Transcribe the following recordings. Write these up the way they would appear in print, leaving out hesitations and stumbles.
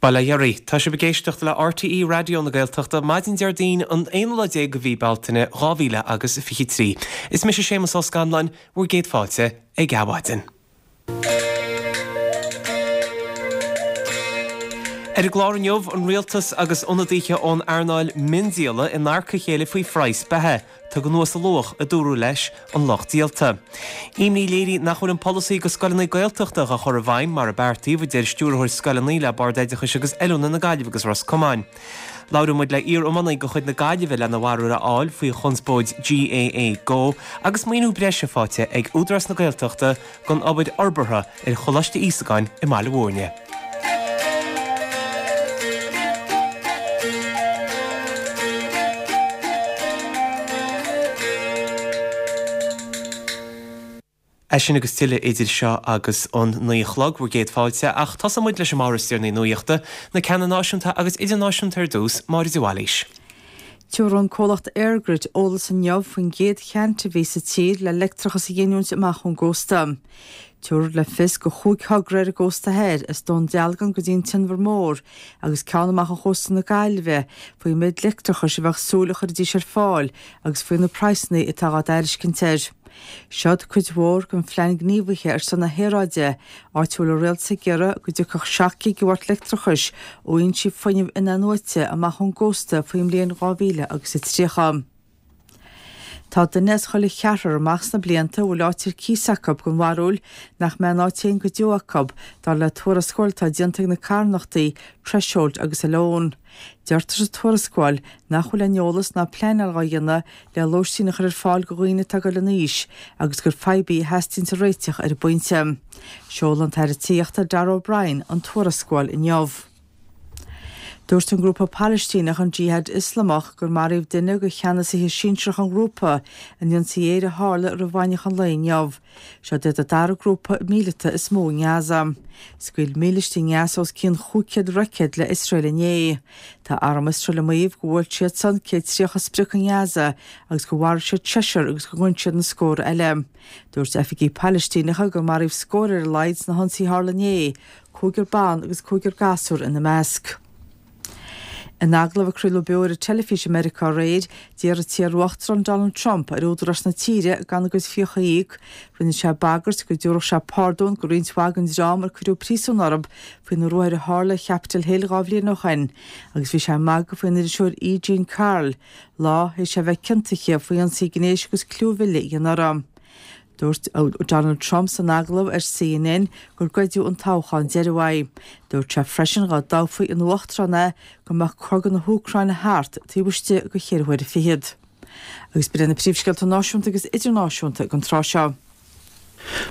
Bail ó Dhia oraibh. Tá sibh ag éisteacht le RTÉ Raidió na Gaeltachta maidin Déardaoin an aonú lá déag de mhí Bealtaine 2000 agus 23. Is mise Séamus Ó Scanláin, bhur gcéad fáilte ag Adhmhaidin. Ar an gclár inniu, an Rialtas agus ionadaithe ón earnáil miondíola in adharca a chéile faoi phraghas beatha. Tugtha anuas a luach, a dúradh leis an lucht díolta. Imní léirithe nach bhfuil an polasaí go scoileanna Gaeltachta á chur i bhfeidhm mar a beartaíodh, a deir Stiúrthóir Scoileanna le Bord Oideachais agus Oiliúna na Gaillimhe agus Ros Comáin. Labhróidh muid le iar-iománaí de chuid na Gaillimhe lena bharúil a fháil faoi chonspóid GAA Go agus maoiniú breise faighte ag Údarás na Gaeltachta don obair fhorbartha ar Choláiste Íosagáin i mBaile Bhúirne. É sin agus tuilleadh idir seo agus an 9 a chlog, bhur gcéad fáilte, ach tosóidh muid leis an mbabhla is deireanaí nuachta, na ceanna náisiúnta agus idirnáisiúnta ar dtús, Máire de Bhailís. Tabharfaidh an comhlacht EirGrid eolas inniu faoin gcéad cheant a bhí sa tír le leictreachas a ghiniúint amach ón gcósta. Tabharfar le fios go chúig thogra ar an gcósta thoir, as Dún Dealgan go dtí an tInbhear Mór agus ceann amach ó chósta na Gaillimhe, faoin méid leictreachais a bheadh súil a chuirfidís ar fáil agus faoi na praghsanna atá dhá dtairiscint air. Seod cuid mhór den Phlean Gníomhaithe ar son na hAeráide, áit a bhfuil an rialtas ag iarraidh go dtiocfadh 7 gigeawat leictreachais ó fhoinsí fuinnimh in-athnuaite amach ón gcósta faoin mbliain 2030. Tá duine as chuile cheathrar amach sna blianta a bhfuil áit ar cíos acu den bharúil nach mbeidh a n-áit féin go deo acu, dar le tuarascáil atá déanta ag na carthanachtaí Threshold agus Alone. Deirtear sa tuarascáil nach bhfuil aon eolas ná pleanáil dhá dhéanamh le lóistín a chur ar fáil do dhaoine atá ag dul in aois agus gur fadhb í a theastaíonns a réiteach ar an bpointe. Seolfaidh an tAire Tithíochta Darragh O'Brien an tuarascáil inniu. Dúirt an grúpa Palaistíneach an Jihad Ioslamach gur maraíodh duine de cheannasaithe sinsearacha an ghrúpa in ionsaí aeir a tharla roimh mheánaoíche an lae inniu. Seod iad an dara grúpa míleata is mó i nGaza. Scaoil mílístí i nGaza os cionn 500 roicéad le Iosrael inné. Tá arm Iosrael ag maíomh gur bhuail siadsan 130 sprioc i nGaza agus gur mharaigh siad seisear agus gur ghoin siad na scórtha eile. Dúirt oifigigh Palaistíneacha gur maraíodh scór ar a laghad sna hionsaithe a tharla inné, cúigear ban agus cúigear gasúr ina measc. In agallamh a craoladh beo ar an teilifís i Meiriceá aréir, d'iarr an t-iar-uachtarán Donald Trump ar údaráis na tíre gan a gcuid fiacha a íoc. Rinne sé bagairt go dtabharfadh sé pardún go roinnt mhaith den dream ar cuireadh príosún orthu faoi na ruathair a tharla ar Chapitol Hill 2 bhliain ó shin agus bhí sé ag magadh faoin iriseoir E. Jean Carroll lá théis é a bheith ciontaithe faoi ionsaí gnéis agus clúmhilleadh a dhéanamh uirthi. Dúirt Donald Trump san agallamh ar CNN gur goideadh an toghchán deiridh uaidh. Dúirt sé freisin dhá dtoghfaí ina uachtarán é go mbeadh cogadh na hÚcráine thart taobh istigh de cheithre huaire fichead. Agus b'in iad na príomhscéalta náisiúnta agus idirnáisiúnta ag an tráth seo.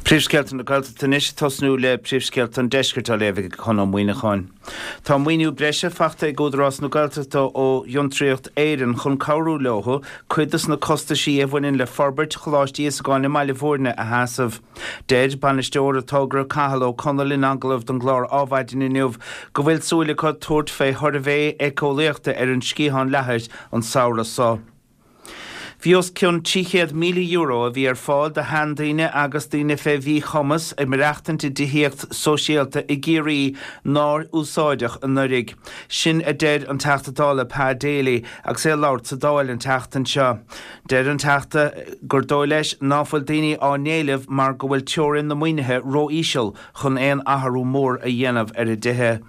Príomhscéalta na Gaeltachta anois, ag tosnú le príomhscéalta an Deiscirt á léamh ag Conn Ó Muíneacháin. Tá maoiniú breise fachta ag Údarás na Gaeltachta ó Fhiontraíocht Éireann chun cabhrú leo cuid dos na costaisí a bhaineann le forbairt Choláiste Íosagáin i mBaile Bhúirne a sheasamh. Deir bainisteoir an togra Cathal Ó Conaill in agallamh don gclár Ádhmhaidin inniu go bhfuil súil acu tabhairt fé shuirbhé éiceolaíochta ar an Sciathán Leathair an samhradh so. Bhí os cionn €300,000 a bhí ar fáil do sheandaoine agus daoine fé mhíchumas ag maireachtaint i dtithíocht sóisialta i gCiarraí nár úsáideadh anuraidh. Sin a deir an Teachta Dála Pa Daly agus é ag labhairt sa Dáil an tseachtain seo. Deir an Teachta gur dóigh leis ná fuil daoine á n-éileamh mar go bhfuil teorainn na maoinithe ró-íseal chun aon athrú mór a dhéanamh ar a dtithe.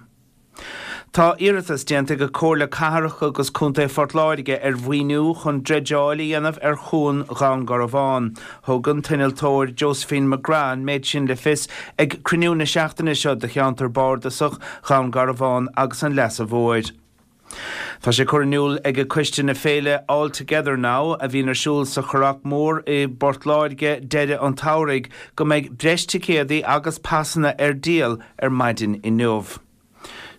Tá iarratas déanta ag Comhairle Cathrach agus Contae Phort Láirge ar mhaoiniú chun dreideáil a dhéanamh ar Chuan Dhún Garbhán. Thug an t-innealtóir Josephine McGrath an méid sin le fios ag cruinniú na seachtaine seo de Cheantar Bardasach Dhún Garbhán agus an Leasa Mhóir. Tá sé curtha in iúl ag coiste na féile All Together Now, a bhíonn ar siúl sa Churrach Mór i bPort Láirge deireadh an tsamhraidh, go mbeidh breis ticéadaí agus pasanna ar díol ar maidin inniu.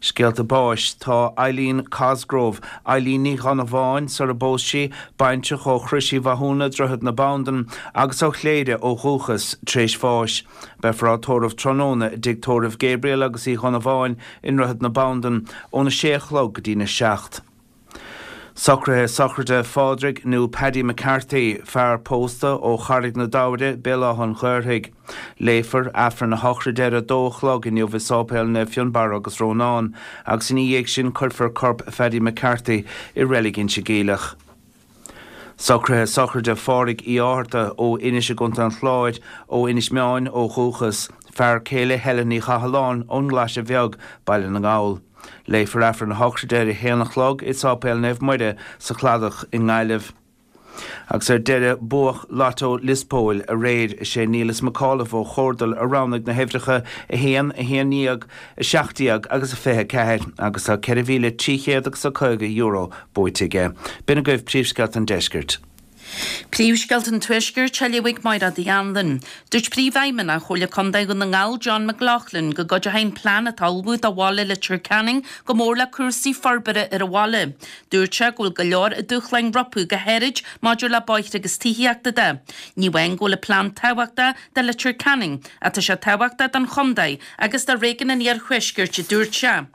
Scéalta báis Tá Eileen Cosgrove, Eileen Ní Dhonnabháin sar a bpós sí, baintreach ó Chrois Uí Mhathúna, Droichead na Bandan, agus ó Chléire ó dhúchas, tréis bháis. Beifear á tórramh tráthnóna i dTigh Tórraimh Gabriel agus Uí Dhonnabháin i nDroichead na Bandan óna sé a chlog go dtína seacht. Socruithe sochraide Phádraig nó Paddy McCarthy, fear pósta ó Charraig na Dairbhre, Béal Átha an Ghaorthaidh. Léifear Aifreann a shochraide ar a dó a chlog inniu i Sáipéal Naomh Fionnbarra agus Rónán agus ina dhiaidh sin cuirfear corp Phaddy McCarthy i Reilig Inse Geimhleach. Socruithe sochraide Phádraig Uí Fhátharta ó Inis i gContae an Chláir, ó Inis Meáin ó dhúchas, fear céile Helen Ní Chathalláin ón nGlaise Bheag, Baile na nGall. Léifear Aifreann a shochraide ar a haon a chlog i Sáipéal Naomh Muire sa Chladach i nGaillimh. Agus ar deireadh, buadh Lotto Liospóil aréir. Is é Niallas McAuliffe ó Chomhardal a roghnaigh na huimhreacha 1, 11, 17 agus 24 agus tá €4,300 agus €50 buaite aige. B'in agaibh príomhscéalta an deiscirt. Príomhscéalta an Tuaiscirt á léamh ag Máire Uí Anluain. Dúirt Príomhfheidhmeannach Chomhairle Contae Dhún na nGall John McLaughlin go gcuideoidh an plean atá á ullmhú do bhaile Leitir Ceanainn go mór le cúrsaí forbartha ar an bhaile. Dúirt sé go bhfuil go leor dúshláin rompu go háirid maidir le bóithre agus tithíochta de. Ní amháin go bhfuil an plean tábhachtach do Leitir Ceanainn ach tá sé tábhachtach don chontae agus do réigiún an Iarthuaiscirt a dúirt sé.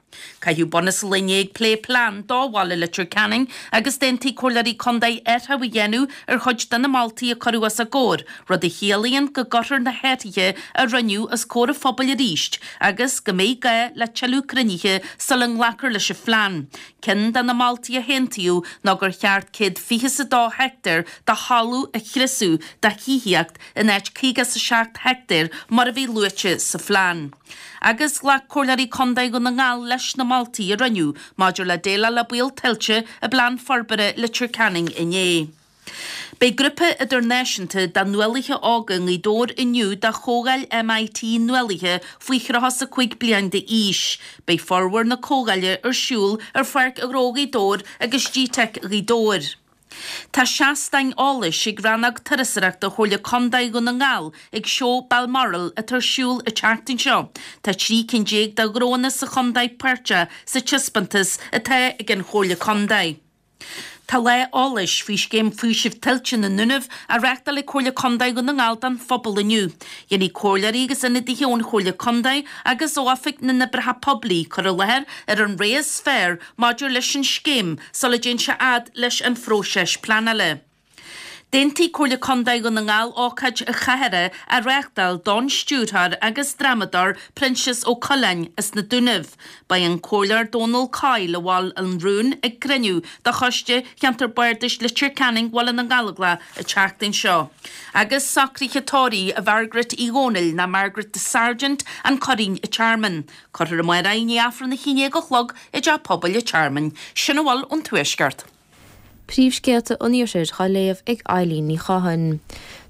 Caitheadh bunús an lae inné ag plé plean do bhaile Leitir Ceanainn agus d'aontaigh comhairleoirí contae athrú a dhéanamh ar chuid de na moltaí a cuireadh os a gcomhair, rud a chiallaíonn go gcuirfear na hathruithe a rinneadh os comhair an phobail arís agus go mbeidh gá le tuilleadh cruinnithe sula nglacfar leis an phlean. Ceann de na moltaí a haontaíodh ná gur cheart 122 heicteár de thalamh a chriosú do thithíocht in áit 57 heicteár mar a bhí luaite sa phlean. Agus ghlac Comhairleoirí Contae Dhún na nGall leis na moltaí a rinneadh maidir le déileáil le baol tuilte i bPlean Forbartha Leitir Ceanainn inné. Beidh grúpa idirnáisiúnta de nuálaithe óga i nGaoth Dobhair inniu do Chomhdháil MIT Nuálaithe faoi 35 bliain d'aois. Beidh formhór na comhdháile ar siúl ar Pháirc Ghnó Ghaoth Dobhair agus G-Teic Ghaoth Dobhair. Tá seastáin eolais ag Rannóg Turasóireachta Chomhairle Contae Dhún na nGall ag Seó Balmoral atá ar siúl an tseachtain seo. Tá 13 cinn de ghnóanna sa chontae páirteach sa taispeántas atá ag an Chomhairle Contae. Tá lá eolais faoi Scéim Faoisimh Tuilte na nDúnaibh á reáchtáil ag Comhairle Contae Dhún na nGall don phobal inniu. Dhéanfaidh comhairleoirí agus ionadaithe ón Chomhairle Contae agus ó Oifig na nOibreacha Poiblí cur i láthair ar an rogha is fearr maidir leis an scéim sula dtéann sé fhad leis an phróiseas pleanála. D'aontaigh Comhairle Contae Dhún na nGall ócáid chathartha a reáchtáil don stiúrthóir agus drámadóir Proinsias Ó Coileáin as na Dúnaibh. Beidh an Comhairleoir Dónal Coyle a mhol an rún ag cruinniú de Choiste Cheantar Bardais Leitir Ceanainn Bhaile na nGallóglach an tseachtain seo. Agus socruithe tórraimh Mhargaret Uí Dhónaill ná Margaret Sargent, An Curraoin an Tearmann. Cuirfear amárach í i ndiaidh Aifreann 11 a chlog i dTeach Pobail an Tearmainn. Sin a bhfuil ón Tuaisceart. Príomhscéalta an Iarthair á léamh ag Eileen Ní Chatháin.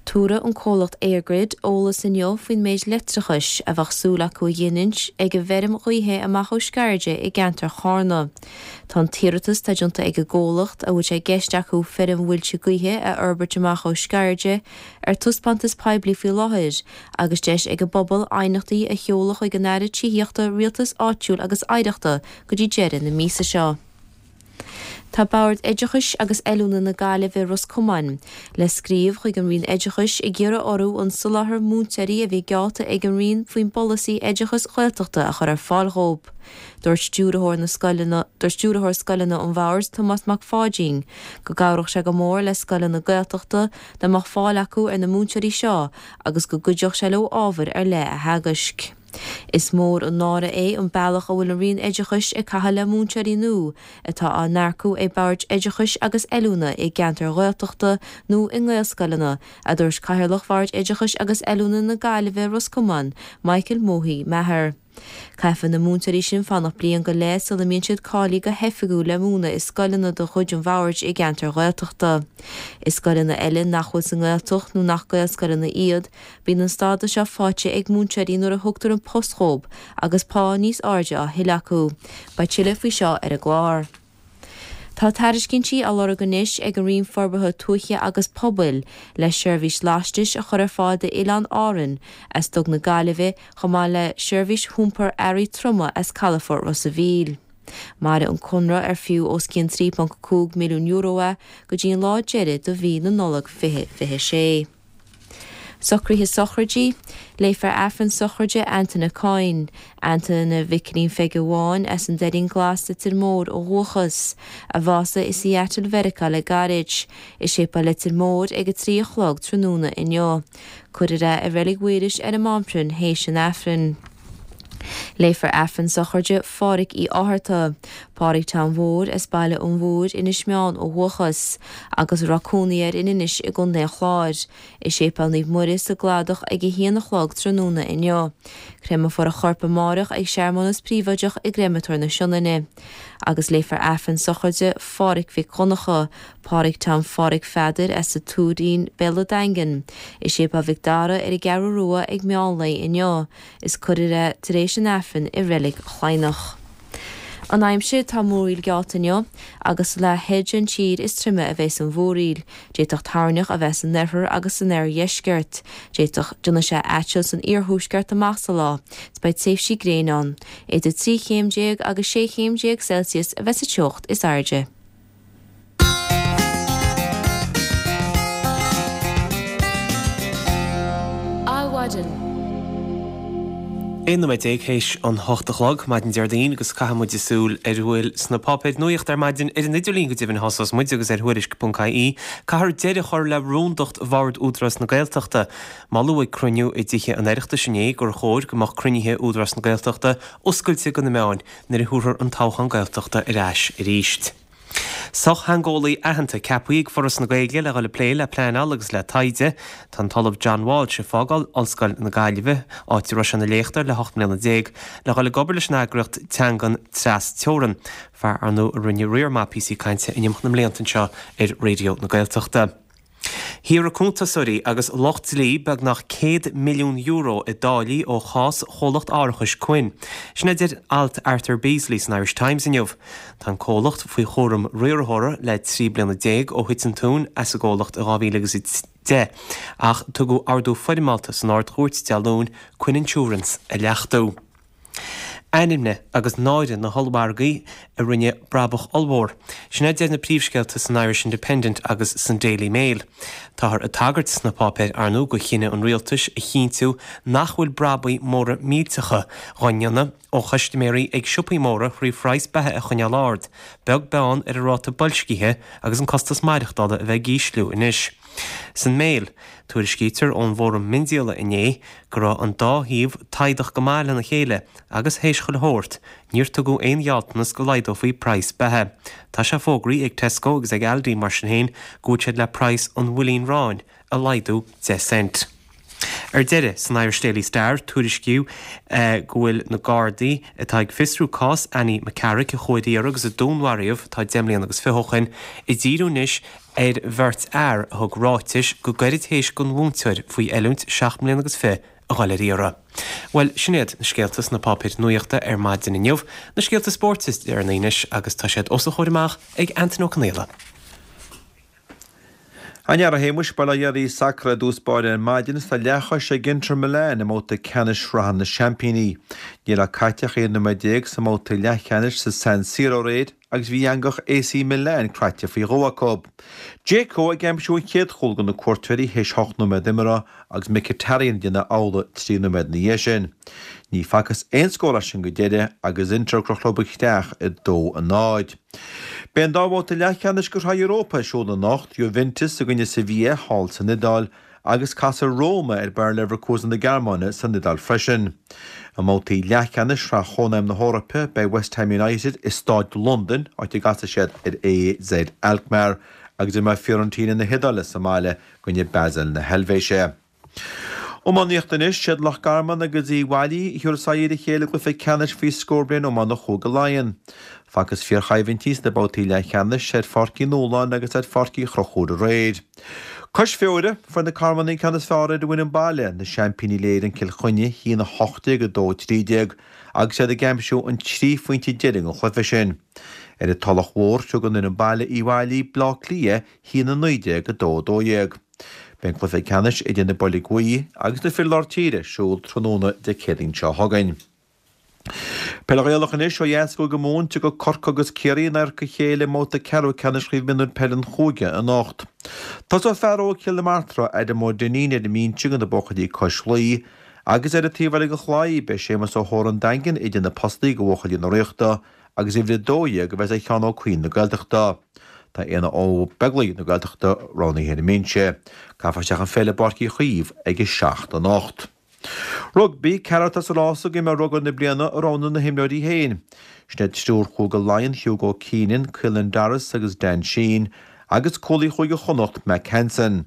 Tabharfaidh an comhlacht EirGrid eolas inniu faoin méid leictreachais a bheadh súil acu a ghiniúint ag an bhfeirm ghaoithe amach ó Sceirde i gceantar Charna. Tá an t-iarratas atá déanta ag an gcomhlacht, a bhfuil sé i gceist acu feirm mhuilte gaoithe a fhorbairt amach ó Sceirde, ar taispeántas poiblí faoi láthair agus deis ag an bpobal aighneachtaí a sheoladh chuig an Aire Tithíochta, Rialtais Áitiúil agus Oidhreachta go dtí deireadh na míosa seo. Tá Bord Oideachais agus Oiliúna na Gaillimhe Ros Comáin le scríobh chuig an Roinn Oideachais ag iarraidh orthu an soláthar múinteoirí a bhí geallta ag an Roinn faoin bpolasaí oideachais Ghaeltachta a chur ar fáil dhóibh. Dúirt stiúrthóir na scoileanna Dúirt stiúrthóir scoileanna an Bhoird, Tomás Mac Pháidín, go gcabhródh sé go mór le scoileanna Gaeltachta dá mbeadh fáil acu ar na múinteoirí seo agus go gcuideodh sé leo ábhair ar leith a theagaisc. Is mór an náire é an bealach a bhfuil an Roinn Oideachais ag caitheamh le múinteoirí nua atá á n-earcú ag Boird Oideachais agus Oiliúna i gceantair Ghaeltachta nó i nGaelscoileanna, a dúirt Cathaoirleach Bhord Oideachais agus Oiliúna na Gaillimhe Ros Comáin, Michael Mohi Maher. Caithfidh na múinteoirí sin fanacht bliain go leith sula mbíonn siad cáilithe go hoifigiúil le múineadh i scoileanna de chuid an Bhoird i gceantair Ghaeltachta. I scoileanna eile nach bhfuil sa nGaeltacht nó nach Gaelscoileanna iad, bíonn an stádas seo faighte ag múinteoirí nuair a thugtar an post dhóibh agus pá níos airde á thuilleadh acu. Beidh tuilleadh faoi seo ar an gclár. Tá tairiscintí á lorg anois ag an Roinn Forbartha Tuaithe agus Pobail le seirbhís lastais a chur ar fáil d'Oileáin Árann as Duga na Gaillimhe chomh maith le seirbhís iompair earraí troma as calafort Ros a' Mhíl. Mairfidh an conradh ar fiú os cionn €3.5 milliún é go dtí an lá deiridh de mhí na Nollag 2026. Socruithe sochraidí, Léifear Aifreann sochraide Antaine Coyne, Antaine Mhicilín Pheige Bháin as an Doirín Glas, Leitir Móir ó dhúchas, a bhásaigh i Seattle Mheiriceá le gairid, i Séipéal Leitir Móir ag a 3 a chlog tráthnóna inniu. Cuirfear é i Reilig Mhaoilís ar an Mháinphrinn théis an Aifrinn. Léifear Aifreann sochraide Phádhraic Uí Fhátharta, Pádraig Tom Mhóir as Baile an Mhúir, Inis Meáin ó dhúchas, agus a raibh cónaí air in Inis i gContae an Chláir, i Séipéal Naomh Muire sa gCladach ag a haon a chlog tráthnóna inniu. Créamfar a chorp amáireach ag searmanas príobháideach i gCréamatóir na Sionainne. Agus léifear Aifreann sochraide Phádhraic Mhic Dhonncha, Pádraig Tom Phádraig Pheadair as an Tuairín, Béal an Daingin, i Séipéal Mhic Dara ar an gCeathrú Rua ag meán lae inniu, is cuirfear é tar éis an Aifrinn i Reilig Chladhnach. An aimsir, Tá múraíl geallta inniu agus sa leath thoir den tír is troime a bheas an mhúraíl. D'fhéadfadh toirneach a bheith san oirthear agus san oirdheisceart. D'fhéadfadh déanfaidh sé aiteal san iarthuaisceart amach sa lá. Is beidh tréimhsí gréine ann. Idir 13 chéim agus 16 chéim Celsius a bheas sa teocht is airde. Adhmhaidin. 11 nóiméad théis an hocht a chlog, maidin Déardaoin, agus caithfidh muid súil ar a bhfuil sna páipéir nuachta ar maidin, ar an idirlíon go deimhin a thosós muid agus ar Thuairisc.ie. Caithfear deireadh a chur le rúndacht Bhord Údarás na Gaeltachta. Moladh ag cruinniú i dTithe an Oireachtais inné gur chóir go mbeadh cruinnithe Údarás na Gaeltachta oscailte do na meáin nuair a thabharfar an toghchán Gaeltachta ar ais arís. Sochtheangeolaí aitheanta ceaptha ag Foras na Gaeilge le dhul ag plé le pleanáil agus le taighde. Tá an tOllamh John Walsh ag fágáil Ollscoil na Gaillimhe, áit a raibh sé ina léachtóir le 18 mbliana, le dhul ag obair leis an eagraíocht teangan tras teorann, fear ar ndóigh a rinne riar maith píosaí cainte in imeacht na mblianta anseo ar Raidió na Gaeltachta. Shaothraigh cuntasóirí agus lucht dlí beagnach €100 milliún i dtáillí ó chás chomhlacht árachais Quinn. Sin a deir alt Arthur Beesley san Irish Times inniu. Tá an comhlacht faoi chúram riarthóra le 13 bliana ó thit an tóin as an gcomhlacht i 2010 ach tugadh ordú foirmeálta san Ard-Chúirt Dé Luain Quinn Insurance a leachtú. Ainmne agus náire na hollmhargaí a rinne brabach ollmhór. Sin a deir na príomhscéalta san Irish Independent agus san Daily Mail. Táthar ag tagairt sna páipéir, ar ndóigh, do chinneadh an rialtais a chinntiú nach bhfuil brabaigh móra millteacha dhá ndéanamh ó chustaiméirí ag siopaí móra thrí phraghas beatha a choinneáil ard, beag beann ar an ráta boilscithe agus an costas maireachtála a bheith ag ísliú anois. San Mail, tuairiscítear ón bhFóram Miondíola inné go raibh an dá thaobh taghdach go maith lena chéile agus théis chuile shórt, níor tugadh aon ghealltanas go laghdófaí praghas beatha. Tá sé fógraithe ag Tesco agus ag Aldi mar sin féin go bhfuil siad le praghas an bhuilín aráin a laghdú 10 cent. Ar deireadh, san Irish Daily Star, tuairiscíodh go bhfuil na Gardaí atá ag fiosrú cás Annie McCarrick a chuaigh ar iarraidh agus a dúnmharaíodh tá 10 mbliana agus fiche ó shin, ag díriú anois ar bheirt fhear a thug ráitis go gairid théis don mhúinteoir faoi oiliúint 7 mbliana agus fiche a dhul ar iarraidh. Bhuel, sin iad na scéalta sna páipéir nuachta ar maidin inniu. Na scéalta spóirt is deireanaí anois agus tá siad os a chomhair amach ag Antain Ó Conaola. An-fhear a Shéamuis, Bail ó Dhia oraibh Sacar i dtús báire ar maidin is tá leathchois ag Inter Milan i mbabhta ceannais Shraith na Seaimpíní. Ní raibh caite ach 11 nóiméad sa mbabhta leathcheannais sa San Siro aréir agus bhí eangach AC Milan croite faoi dhó acu. Dzeko ag aimsiú an chéad chúl do na cuairteoirí théis hocht nóiméad imeartha agus Mkhitaryan ag déanamh amhlaidh 3 nóiméad ina dhiaidh sin. Ní facthas aon scór as sin go deireadh agus Inter ag crochadh leo isteach 2-0. Beidh an dá bhabhta leathcheannais de Shraith Europa ar siúl anocht, Juventus i gcoinne Sevilla thall san Iodáil agus casfaidh Roma ar Bayer Leverkusen na Gearmáine san Iodáil freisin. I mbabhtaí leathcheannais Shraith Chónaidhm na hEorpa, beidh West Ham United i Stáid Londain, áit a gcasfaidh siad ar AZ Alkmaar, agus imreoidh Fiorentina na hIodáile sa mbaile i gcoinne Basel na hEilvéise. Iománaíocht anois, Siad Loch Garman agus Uíbh Fhailí a thabharfas aghaidh ar a chéile i gcluiche ceannais faoi scór bliain iomána Chúige Laighean. Facthas fíorchoimhlintí sna babhtaí leathcheannais ar Pháirc Uí Nualláin agus ar Pháirc Uí Chonchúir aréir. Cois Feoire, fuair na Carmannaigh an ceann is fearr ar an bhfoireann baile, na seaimpíní Uile-Éireann Cill Chainnigh, 1-18, 2-13, agus iad ag aimsiú an 3 phointe deiridh an chluiche sin. Ar an Tulach Mhór, thug an fhoireann baile Uíbh Fhailí, Bleá Cliath, 1-19, 2-12. Beidh an cluiche ceannais idir na Boilg Bhuí agus na fir lár tíre ar siúl tráthnóna Dé Céadaoin seo chugainn. Peil Ghaelach anois ó dheas i gCúige Mumhan, tiocfaidh Corcaigh agus Ciarraí in adharca a chéile i mbabhta ceathrú ceannais Chraobh Mionúir Peile an Chúige anocht. Tosóidh fear óg Chill na Martra, Adam Ó Duinnín, ar an mbinse do na buachaillí cois Laoi agus ar an taobh eile den chlaí, beidh Séamus Ó hÓra an Daingin idir na postaí do bhuachaillí na Ríochta agus uimhir 12 a bheas ag Seán Ó Cuinn na Gaeltachta. Tá Éanna Ó Beaglaoich na Gaeltachta roghnaithe ar an mbinse. Caithfear isteach an pheil i bPáirc Uí Chaoimh ag 7 anocht. Rugbaí, Ceathrar atá sa rása d'imreoir rugbaí na bliana a roghnóidh na himreoirí féin. Sin iad triúr Chúige Laighean, Hugo Keenan, Caelan Doris agus Dan Sheehan, agus cúlaí Chúige Chonnacht, Mack Hansen.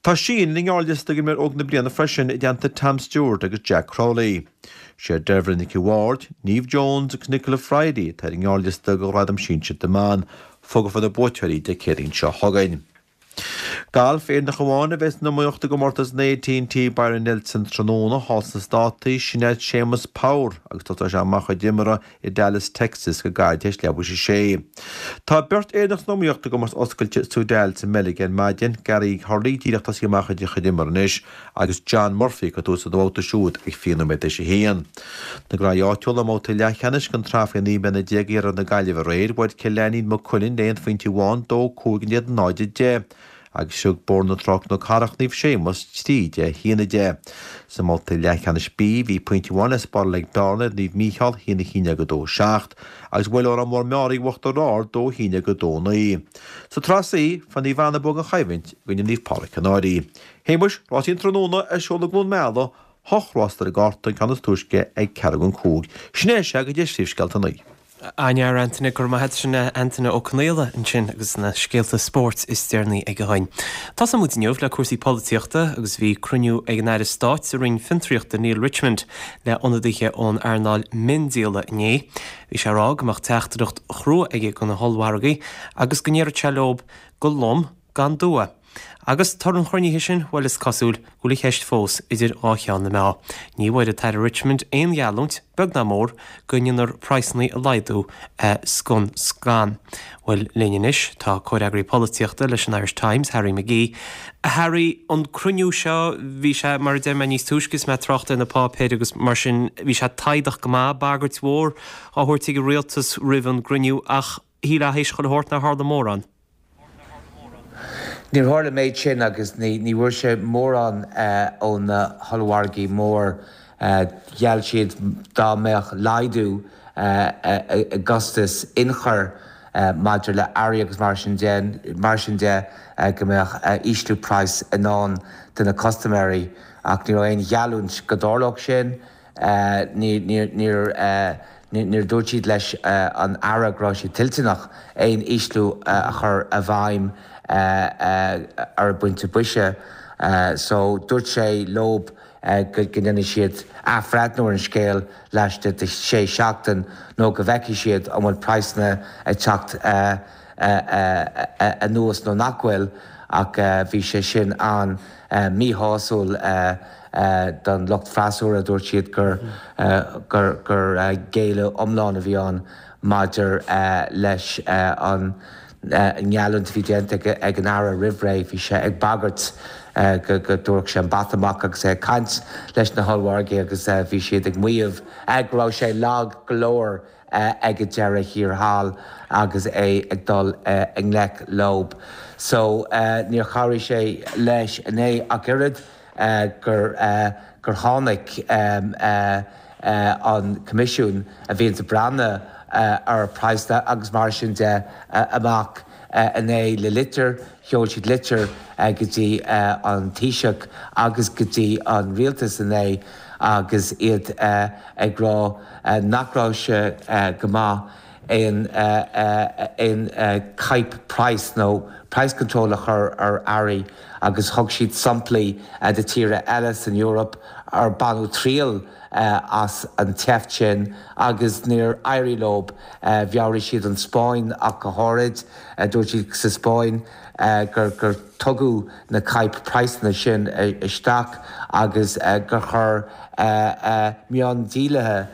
Tá Sheehan ar an ngearrliosta d'imreoir óg na bliana freisin i dteannta Tom Stewart agus Jack Crowley. Sé Deirbhile Nic an Bhaird, Neve Jones agus Nichola Fryday atá ar an ngearrliosta do ghradam sinsir na mban. Fógrófar na buaiteoirí Dé Céadaoin seo chugainn. Galf, Éireannach amháin a bheidh san iomaíocht i gcomórtas an AT&T Byron Nelson tráthnóna thall sna Státaí, sin é Séamus Power agus tosóidh sé amach a chuid imeartha i Dallas, Texas go gairid tar éis leathuair tar éis a sé. Tá beirt Éireannach san iomaíocht i gcomórtas oscailte Soudal sa mBeilg ar maidin, Gary Hurley díreach tosaithe amach a chuid imeartha anois agus John Murphy ag cur tús lena bhabhta siúd ag 20 nóiméad tar éis a haon. Na gcraobhacha áitiúla i mbabhta leathcheannais den tsraith faoi 19 mbliana i iarthar na Gaillimhe aréir, bhuail Cill Ainnín Maigh Cuilinn le aon phointe amháin, 2, 5 in éadan 0, 10, agus thug Bóthar na Trá Cnoc Cathrach Naomh Séamus 3, 10, 1, 10. Sa mbabhta leathcheannais B, bhí pointe amháin le spáráil ag Bearna ar Naomh Mícheál, 1, 11, 2, 7, agus bhuail Órán Mór Meáraí Uachtar Ard, 2, 11, 2, 9. Sa tSraith C, fuair Naomh Anna bua gan choimhlint i gcoinne Naomh Pádraig Cionn Áirí. Shéamuis, rásaí an tráthnóna ar siúl i gCluain Meala, hocht rás ar an gcárta, an ceann is túisce ag ceathrú don chúig. Sin é sea go dtí phríomhscéalta an lae. An-fhear Antaine, go raibh maith agat. Sin é Antaine Ó Conaola ansin agus na scéalta spóirt is deireanaí aige againn. Tosóidh muid inniu le cúrsaí polaitíochta agus bhí cruinniú ag an Aire Stáit sa Roinn Fiontraíochta Neil Richmond le ionadaithe ón earnáil miondíola inné. Bhí sé ag rá go mbeadh teachtaireacht chrua aige do na hollmhargaí agus go ndéarfadh sé leo go lom gan dua. Agus toradh an chruinnithe sin, bhuel is cosúil go bhfuil an cheist fós idir dhá cheann na meá. Ní bhfuair an tAire Richmond aon gheallúint, beag ná mór, go ndéanfar praghsanna a laghdú scun scan. Bhuel, linn anois tá comhfhreagraí polaitíochta leis an Irish Times, Harry McGee. A Harry, an cruinniú seo, bhí sé, mar a deir mé níos túisce is mé ag trácht ar na páipéir agus mar sin, bhí sé taghdach go maith, bagairt mhór á thabhairt ag an rialtas roimh an gcruinniú ach shílfeá théis chuile shórt nár tharla mórán. Níor tharla an méid sin agus ní bhfuair sé mórán ó na hollmhargaí mór. Gheall siad dá mbeadh laghdú i gcostas ionchuir maidir le earraí agus mar sin de, mar sin de go mbeadh ísliú praghas i ndán do na custaiméirí ach ní raibh aon gheallúint go dtarlódh sin. Níor dúirt siad leis an Aire go raibh sé toilteanach aon ísliú a chur i bhfeidhm ar an bpointe boise so dúirt sé leob go ndéanfaidh siad athbhreithniú ar an scéal laistigh de shé seachtain nó go bhfeicfidh siad an bhfuil praghsanna ag teacht anuas nó nach bhfuil ach bhí sé sin an-mhíshásúil. Don lucht freasúra, dúirt siad gur géilleadh iomlán a bhí ann maidir leis an ngeallúint a bhí déanta ag an Aire roimh ré. Bhí sé ag bagairt go dtabharfadh sé an bata amach agus é ag caint leis na hollmhargaí agus bhí siad ag maíomh go raibh sé lag go leor ag an deireadh thiar thall agus é ag dul i ngleic leob. So níor chabhraigh sé leis inné ach oiread. gur gur tháinig an Coimisiún a bhíonns ag breathnú ar praghsanna agus mar sin de amach inné le litir, sheol siad litir go dtí an Taoiseach agus go dtí an Rialtas inné agus iad ag rá nach raibh sé go maith aon aon caidhp praghas nó price control a chur ar earraí agus thug siad samplaí de tíortha eile san Eoraip ar baineadh triail as an tseift sin agus níor éirigh leob. Mheabhraigh siad an Spáinn ach go háirid. Dúirt siad sa Spáinn gur gur tugadh na caidhp praghsanna sin isteach agus gur chuir miondíolaithe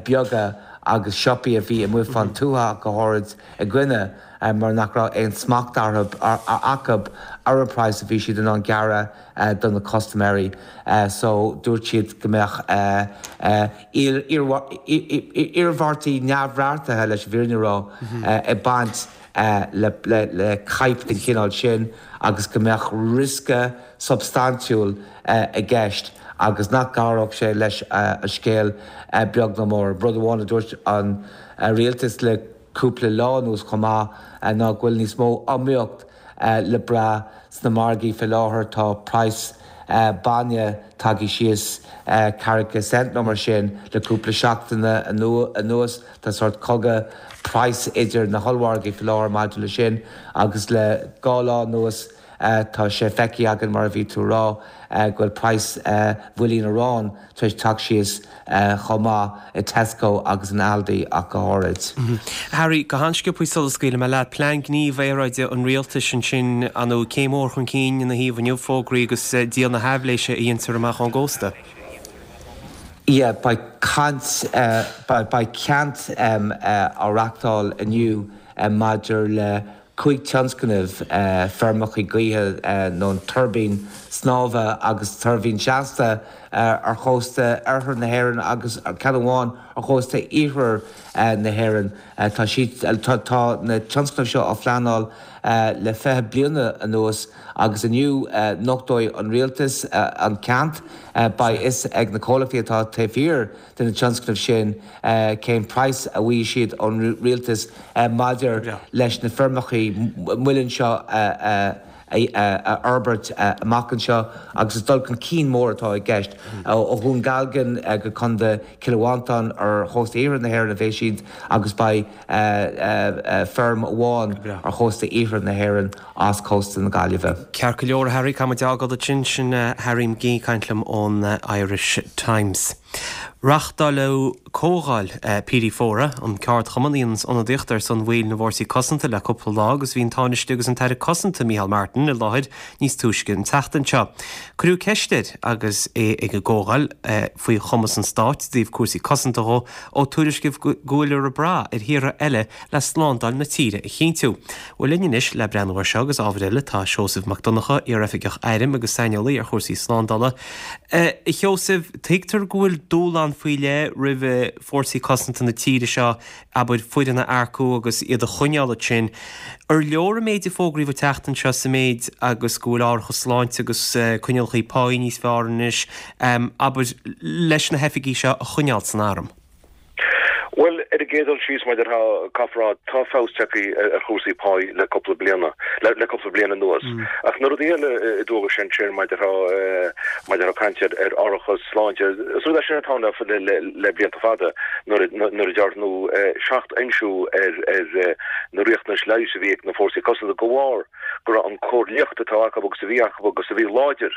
beaga agus siopaí a bhí amuigh fán tuath ach go háirid i gcoinne mar nach raibh aon smacht acu ar an praghas a bhí siad in ann gearradh do na custaiméirí so dúirt siad go mbeadh iarmhairtí neamhbheartaithe leis an bhfírinne a rá ag baint. Le caidhp den chineál sin agus go mbeadh riosca substaintiúil i gceist agus nach gcabhródh sé leis an scéal beag ná mór. Rud amháin a dúirt an rialtas le cúpla lá anuas chomh maith ná go bhfuil níos mó iomaíocht le brath sna margaí fé láthair. Tá praghas bainne tagtha síos ceathracha cent nó mar sin le cúpla seachtain anuas. Tá sórt cogadh praghas idir na hollmhargaí faoi láthair maidir le sin agus le dhá lá anuas tá sé feicthe againn, mar a bhí tú a rá, go bhfuil praghas bhuilín aráin tar éis teacht síos chomh maith i Tesco agus in Aldi ach go háirid. Harry, go han-sciobthaí sula scaoilfidh mé leat, plean gníomh aeráide an rialtais ansin, ar ndóigh, céim mhór chun cinn ina thaobh inniu, fógraí agus díol na haibhléise a dheintear amach ón gcósta. Yeah, beidh caint, beidh ceant á reachtáil inniu maidir le 5 tionscnamh, feirmeacha gaoithe nó tuirbín snámha agus tuirbín seasta ar chósta oirthear na hÉireann agus ceann amháin ar chósta iarthar na hÉireann. Tá siad, tá na tionscnaimh seo á phleanáil le 20 bliana anuas. Agus inniu nochtóidh an rialtas an ceant. Beidh fhios ag na comhlachtaí atá taobh thiar de na tionscnaimh sin cén praghas a bhfaighidh siad ón rialtas maidir leis na feirmeacha muilinn seo a fhorbairt amach anseo. Agus is dul chun cinn mór atá i gceist. Ó Dhún Dealgan go Contae Chill Mhantáin ar chósta iarthar na hÉireann a bheidh siad agus beidh feirm amháin ar chósta iarthar na hÉireann. as cósta na Gaillimhe. Ceart go leor, a Harry, caithfidh muid a fhágáil ansin. Sin Harry McGee ag caint liom ón Irish Times. Reáchtáileadh comhdháil PD Fóra, an ceardchumann a dhéananns ionadaíocht ar son bhaill na bhFórsaí Cosanta le cúpla lá agus bhí an Tánaiste agus an tAire Cosanta Micheál Martin i láthair níos túisce an tseachtain seo. Cuireadh ceist air agus é ag an gcomhdháil faoi chumas an stáit i dtaobh cúrsaí cosanta dhó ó tuairiscíodh go bhfuiltear ag brath ar thíortha eile le slándáil na tíre a chinntiú. Bhuel linn anois le breathnú air seo agus ábhair eile tá Seosamh Mac Donncha, iar-oifigeach airm agus saineolaí ar chúrsaí slándála. A Sheosaimh, tuigtear go bhfuil dúshlán faoi leith roimh fórsaí cosanta na tíre seo, abair, foireann a earcú agus iad a choinneáil ansin. Ar leor an méid a fógraíodh an tseachtain seo sa méid agus go bhfuil árachas sláinte agus coinníollacha páí níos fearr anois, abair, leis na hoifigigh seo a choinneáil san arm? Bhuel, ar an gcéad dul síos, mar a déarfá, caithfear a rá, tá feabhas tagtha ar chúrsaí páí le cúpla bliana, le cúpla bliain anuas. Ach na rudaí eile a dúradh ansin, mar a déarfá, mar a déarfá caint ar ar árachas sláinte, is rud é sin atá ann le le le blianta fada, nuair a nuair a dearnadh seachfhoinsiú ar ar na riachtanais leighis a bhí ag na fórsaí cosanta de bharr go raibh an cór liachta atá acu agus a bhí acu agus a bhí láidir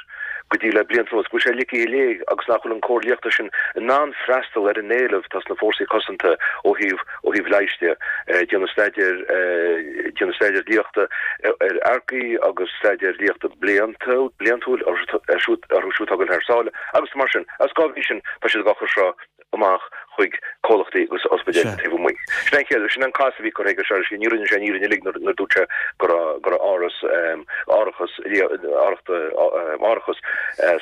go dtí le blianta anuas, go bhfuil sé ligthe i léig agus nach bhfuil an cór liachta sin in ann freastal ar an éileamh atá sna fórsaí cosanta ó thaobh ó thaobh leighis de. Déanadh staidéar déanadh staidéar liachta ar earcaigh agus staidéar liachta bliantúil bliantúil orthu siúd atá ag dul thar sáile agus mar sin. Agus dá bhrí sin tá siad ag cur seo amach chuig comhlachtaí agus ospidéil taobh amuigh. Sin an chéad, sin an cás a bhí curtha aige seo, ní rinne sé an fhírinne uilig nuair a dúirt sé go raibh, go raibh áras, árachas, árachas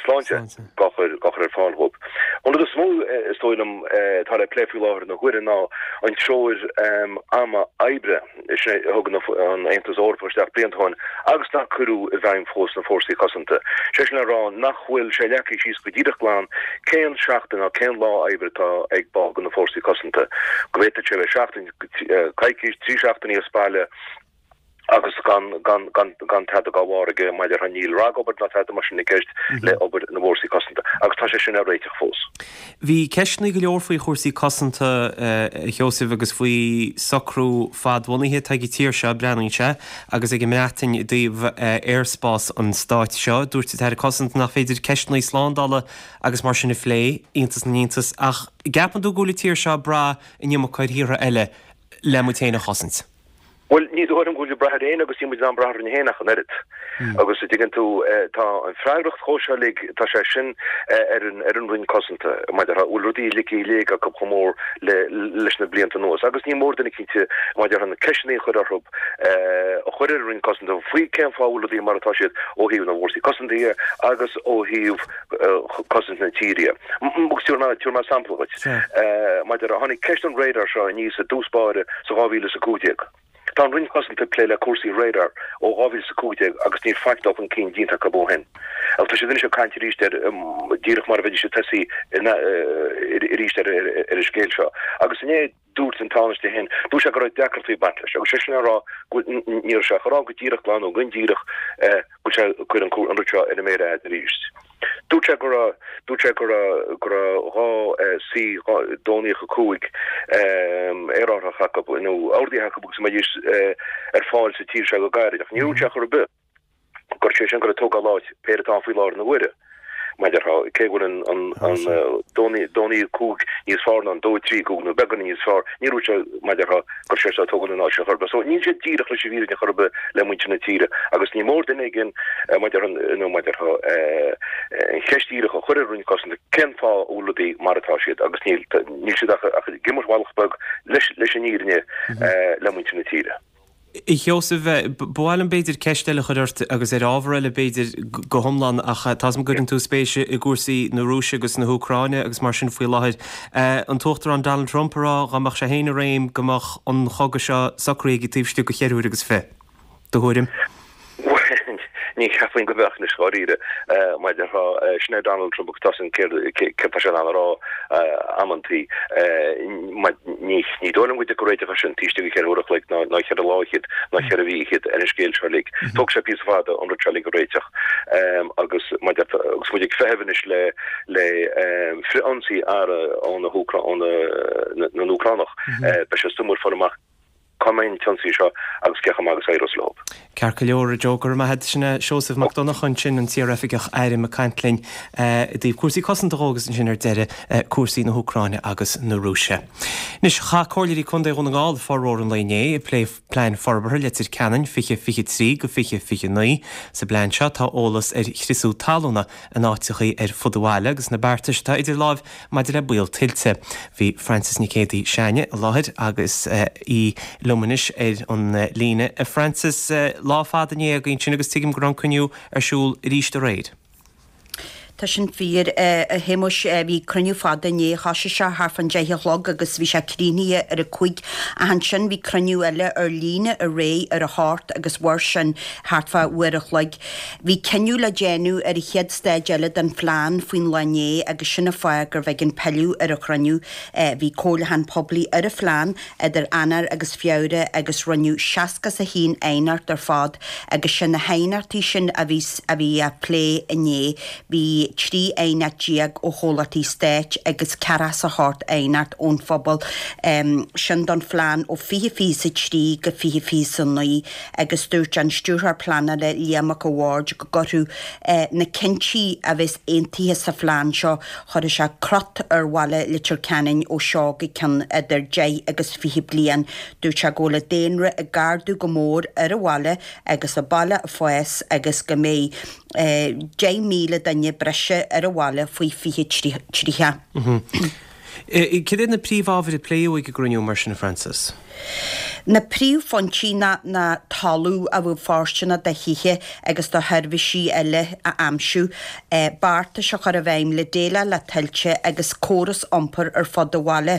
sláinte dhá chur, dhá chur ar fáil dhóibh. An rud is mó is dóigh liom atá le plé faoi láthair na huaire ná an treoir ama oibre. Sin é a thug an Aontas Eorpach isteach blianta ó shin agus nach cuireadh i bhfeidhm fós sna fórsaí cosanta. Sé sin le rá nach bhfuil sé leagtha síos go díreach glan cén seachtain ná cén lá oibre atá ag ball de na fórsaí cosanta. Go bhféadfadh sé a bheith seachtain, coicís, trí seachtainí as baile agus gan gan gan gan tada dá bharr aige maidir le níl ragobair ná tada mar sin i gceist le obair na bhfórsaí cosanta agus tá sé sin ar réiteach fós. Bhí ceisteanna go leor faoi chúrsaí cosanta, a Sheosaimh, agus faoi socrú fadbhunaithe atá ag an tír seo, breathnaíonn sé, agus ag an mBreatain i dtaobh aerspás an stáit seo. Dúirt an tAire Cosanta nach féidir ceisteanna slándála agus mar sin a phlé, iontas na n-iontas, ach an gceapann tú go bhfuil an tír seo ag brath an iomarca ar thíortha eile le muid féin a chosaint? Bhuel, ní dóigh liom go bhfuil ag brath ar éinne agus níl muid in ann brath orainn féin ach an oiread. Agus a dtuigeann tú, tá an freagracht chomh seo uilig, tá sé sin ar an, ar an Roinn Cosanta, mar a déarfá, bhfuil rudaí ligthe i léig acu chomh mór le, leis na blianta anuas. Agus ní mór duine cinnte, mar a déarfá, na ceisteanna a chur orthu, a chur ar an Roinn Cosanta faoi cén fáth a bhfuil rudaí mar atá siad ó thaobh na bhfórsaí cosanta dhe agus ó thaobh cosaint na tíre. Agus tabharfaidh mé sampla dhuit. Mar a déarfá, tháinig ceist an radar seo aníos i dtús báire sa 2015. Tá an Roinn Cosanta ag plé le cúrsaí radar ó 2015 agus níl faic dul chun cinn déanta acu ó shin. Agus tá siad anois ag caint arís air díreach mar a bheidís ag tosaí arís ar an scéal seo. Agus inné dúirt an Tánaiste féin, dúirt sé go raibh deacrachtaí ag baint leis agus sé sin a rá go bhfuil, ní raibh sé ag rá go díreach glan nó go hindíreach go bhfuil sé ag cur an rud seo ar an méar fhada arís. Dúirt sé go raibh, dúirt sé go raibh, go raibh 2 C 2 95 aerárthach acu nó ordaithe acu agus go mbeidís ar fáil sa tír seo go gairid ach níor dhúirt sé chor ar bith gur sé sin ag goil a tógáil áit péire atá ann faoi láthair na huaire. Mar a déarfá, cé go bhfuil an an an 2 95 níos fearr ná an 2 3 5 nó beagán níos fearr, níor dhúirt sé, mar a déarfá, gur sé seo ag tógáil an áit sin chor ar bith. So níl siad díreach leis an bhfírinne chor ar bith le muintir na tíre agus ní mór duine éigin, mar a déarfá, nó mar a déarfá, an cheist dhíreach a chur ar an Roinn Cosanta cén fáth a bhfuil rudaí mar atá siad agus níl níl siad ach ach ag imirt mhallacht beag leis leis an fhírinne le muintir na tíre. A Sheosaimh, ba mhaith liom b'fhéidir ceist eile a chur ort agus ar ábhar eile b'fhéidir go hiomlán ach tá 's agam go gcuireann tú spéis i gcúrsaí na Rúise agus na hÚcráine agus mar sin faoi láthair. An tUachtarán Donald Trump ag rá dá mbeadh sé féin i réim go mbeadh an chogadh seo socraithe aige taobh istigh de cheithre huaire agus fiche. Do thuairim? Bhuel, ní cheapfainn go mbeadh anois dháiríre. Mar a déarfá, sin é Donald Trump agus tá 's againn céard céard tá sé in ann a rá amantaí. Ní ní dóigh liom go dtiocfaidh réiteach air sin taobh istigh de cheithre huaire a chloig ná ná cheithre lá fhichead ná cheithre mhí fhichead ar an scéal seo uilig. Tógfaidh sé píosa fada an rud seo uilig a réiteach. Agus mar a déarfá agus muid ag feitheamh anois le le frith-ionsaí armtha ó na hÚcrá ó na na nÚcránach, beidh sé suimiúil fáil amach Cá mbeidh an t-ionsaí seo agus cé chomh maith agus a éireos leo? Ceart go leor, a Joe, go raibh maith agat. Sin é Seosamh Mac Donncha ansin, an t-iaroifigeach airm ag caint linn i dtaobh cúrsaí cosanta dhó agus ansin ar deireadh cúrsaí na hÚcráine agus na Rúise. Anois, chaith Comhairleoirí Contae Dhún na nGall formhór an lae inné ag plé Plean Forbartha Leitir Ceanainn 2023-2029. Sa bplean seo tá eolas ar chriosú talúna in áiteachaí ar fud an bhaile agus na beartais atá idir láimh Maidir le baol tuilte, bhí Frances Nic Géadaigh s'againne i láthair agus í liom anois ar an líne. A Frances, lá fada inné againn ansin agus tuigim go raibh an cruinniú ar siúl arís aréir. Tá sin fíor, a Shéamuis. Bhí cruinniú fada inné. Thoisigh sé thart fán deich a chlog agus bhí sé críochnaithe ar a cúig. Ach ansin bhí cruinniú eile ar líne aréir ar a hocht agus mhair sin thart fá uair a chloig. Bhí cinneadh le déanamh ar an chéad staid eile den phlean faoin lá inné agus sin an fáth gurbh éigean pilleadh ar an chruinniú. Bhí comhairliúchán poiblí ar an phlean idir Eanáir agus Feabhra agus rinneadh 61 aighneacht ar fad agus sé na haighneachtaí sin a bhí a bhí á plé inné. Bhí 13 aighneacht ó chomhlachtaí stáit agus 48 aighneacht ón phobal, sin don phlean ó 2023 go 2029. agus dúirt an Stiúrthóir Pleanála Liam Mac a' Bhaird go gcuirfeadh na cinntí a bheas aontaithe sa phlean seo, chuirfeadh sé crot ar bhaile Leitir Ceanainn ó seo go ceann idir 10 agus 20 bliain. Dúirt sé go bhfuil an daonra ag ardú go mór ar an bhaile agus an baile ag fás agus go mbeidh 10,000 duine breise ar an bhaile faoi 2030. Cad iad na príomhábhair a pléadh ag an gcruinniú mar sin, a Frances? Na príomhphointí ná ná talamh a bheadh fóirsteanach do thithe agus do sheirbhísí eile a aimsiú, beartais a chur i bhfeidhm le déileáil le tuilte agus córas iompair ar fud an bhaile.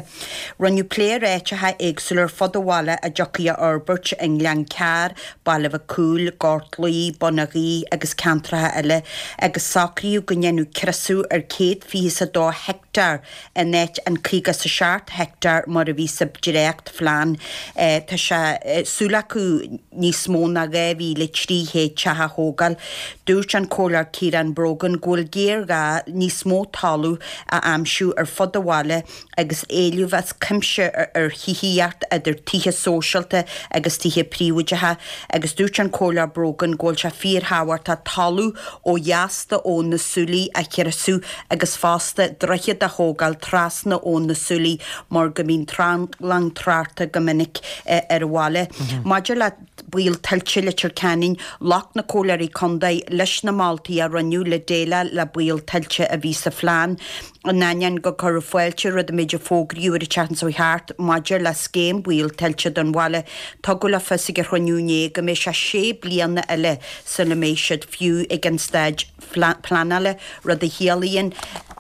Rinneadh plé ar áiteacha éagsúla ar fud an bhaile a dtiocfaí a fhorbairt i nGleann Cearr, Baile Mhic Cumhaill, Gort Laoi, Bun an Ghaoith agus ceantracha eile agus socraíodh go ndéanfadh criosú ar 122 heicteár in áit an 57 heicteár mar a bhí sa dréachtphlean. Tá sé súil acu níos mó ná 2,300 teach a thógáil. Dúirt an Comhairleoir Ciarán Brogan go bhfuil géarghá níos mó talamh a aimsiú ar fud an bhaile agus éileamh as cuimse ar thithíocht idir tithe sóisialta agus tithe príobháideacha agus dúirt an Comhairleoir Brogan go bhfuil sé fíorthábhachtach talamh ó dheas d'Abhainn na Súilí a chriosú agus fosta droichead a thógáil trasna Abhainn na Súilí mar go mbíonn tranglam tráchta go minic ar an bhaile. Maidir le baol tuilte Leitir Ceanainn, ghlac na Comhairleoirí Contae leis na moltaí a rinneadh le déileáil le baol tuilte a bhí sa phlean. In ainneoin gur cuireadh fáilte roimh an méid a fógraíodh ar an tseachtain seo thart maidir le scéim baol tuilte don bhaile, tugadh le fios ag an chruinniú inné go mbeidh sé sé bliana eile sula mbeidh siad fiú ag an staid pleanála, rud a chiallaíonn,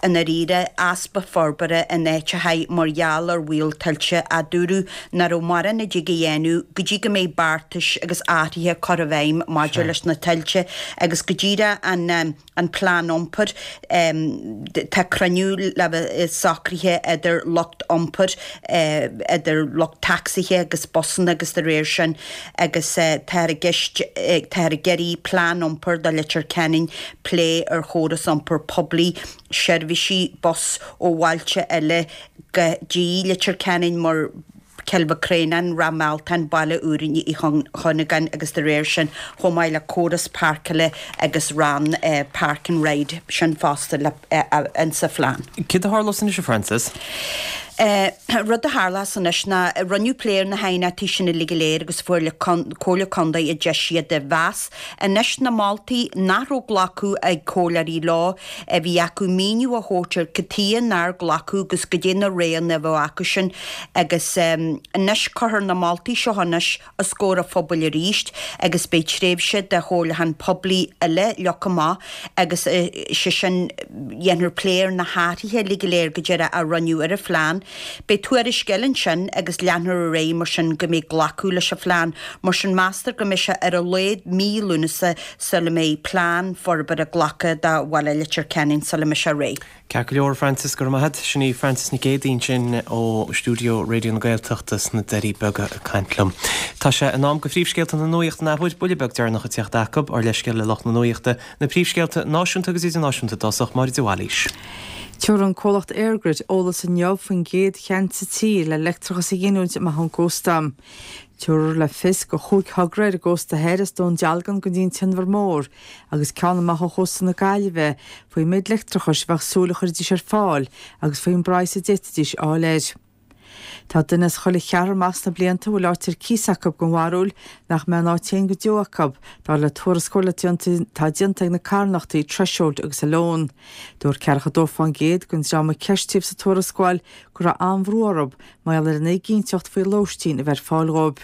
i ndáiríre, easpa forbartha in áiteacha mar gheall ar bhaol tuilte, a dúradh nach raibh mórán a dtig a dhéanamh go dtí go mbeidh beartais agus athruithe curtha i bhfeidhm maidir leis na tuilte agus go díreach an an plean iompair. Tá cruinniú le bheith socraithe idir lucht iompair, idir lucht tacsaithe agus busanna agus dá réir sin agus táthar i gceist, táthar ag iarraidh plean iompair do Leitir Ceanainn, plé ar chóras iompair poiblí, seirbhísí bus ó bhailte eile go dtí Leitir Ceanainn mar Cill Mhic Réanáin, Ráth Mealtain, Baile Úr Uí Chuinneagáin agus dá réir sin, chomh maith le córas páirceála agus rann park and ride, sin fosta le insa phlean. Céard a tharlós anois, a Frances? Rud a tharlós anois ná rinneadh plé ar na haighneachtaí sin uilig go léir agus fuair Comhairle Contae a deis iad a mheas. Anois na moltaí nach raibh glacadh ag comhairleoirí leo, a bhí acu míniú a thabhairt ar cad tuighe nár glacadh agus goidé na roghanna a bheadh acu sin agus anois cuirfear na moltaí seo anois os comhair an phobail arís agus beidh tréimhse de chomhairliúchán poiblí eile leagtha amach agus sé sin dhéanfar plé ar na hathruithe uilig go léir go deireadh a rinneadh ar an phlean. Beidh tuairisc eile ansin agus leanfar ar aghaidh mar sin go mbeidh glacadh leis an phlean. Mar sin meastar go mbeidh sé ar a laghad mí Lúnasa sula mbeidh plean forbartha glactha do bhaile Leitir Ceanainn sula mbeidh sé réidh. Ceart go leor, a Frances, go raibh maith agat. Sin í Frances Nic Géadaigh ansin ó stiúideo Raidió na Gaeltachta sna Doirí Beaga ag caint liom. Tá sé in am do phríomhscéalta na nuachta an athuair, buille beag deireanach ag teacht acu, ár leithscéal le lucht na nuachta, na príomhscéalta náisiúnta agus idirnáisiúnta i dtosach, Máire de Bhailís. Tabharfaidh an comhlacht EirGrid eolas inniu faoin gcéad cheant sa tír le leictreachas a ghiniúint amach ón gcósta. Tabharfar le fios go chúig thogra ar an gcósta thoir as Dún Dealgan go dtí an tInbhear Mór agus ceann amach ó chósta na Gaillimhe faoin méid leictreachais a bheadh súil a chuirfidís ar fáil agus faoin bpraghas a d'fhéadfaidís a fháil air. Tá duine as chuile cheathrar amach sna blianta a bhfuil áit ar cíos acu den bharúil nach mbeidh an áit féin go deo acu, dar le tuarascáil atá déanta ag na carthanachtaí Threshold agus Alone. Dúirt 42% den dream a ceistíodh sa tuarascáil go raibh an-bhrú orthu mar gheall ar an éiginnteacht faoi lóistín a bheith ar fáil dhóibh.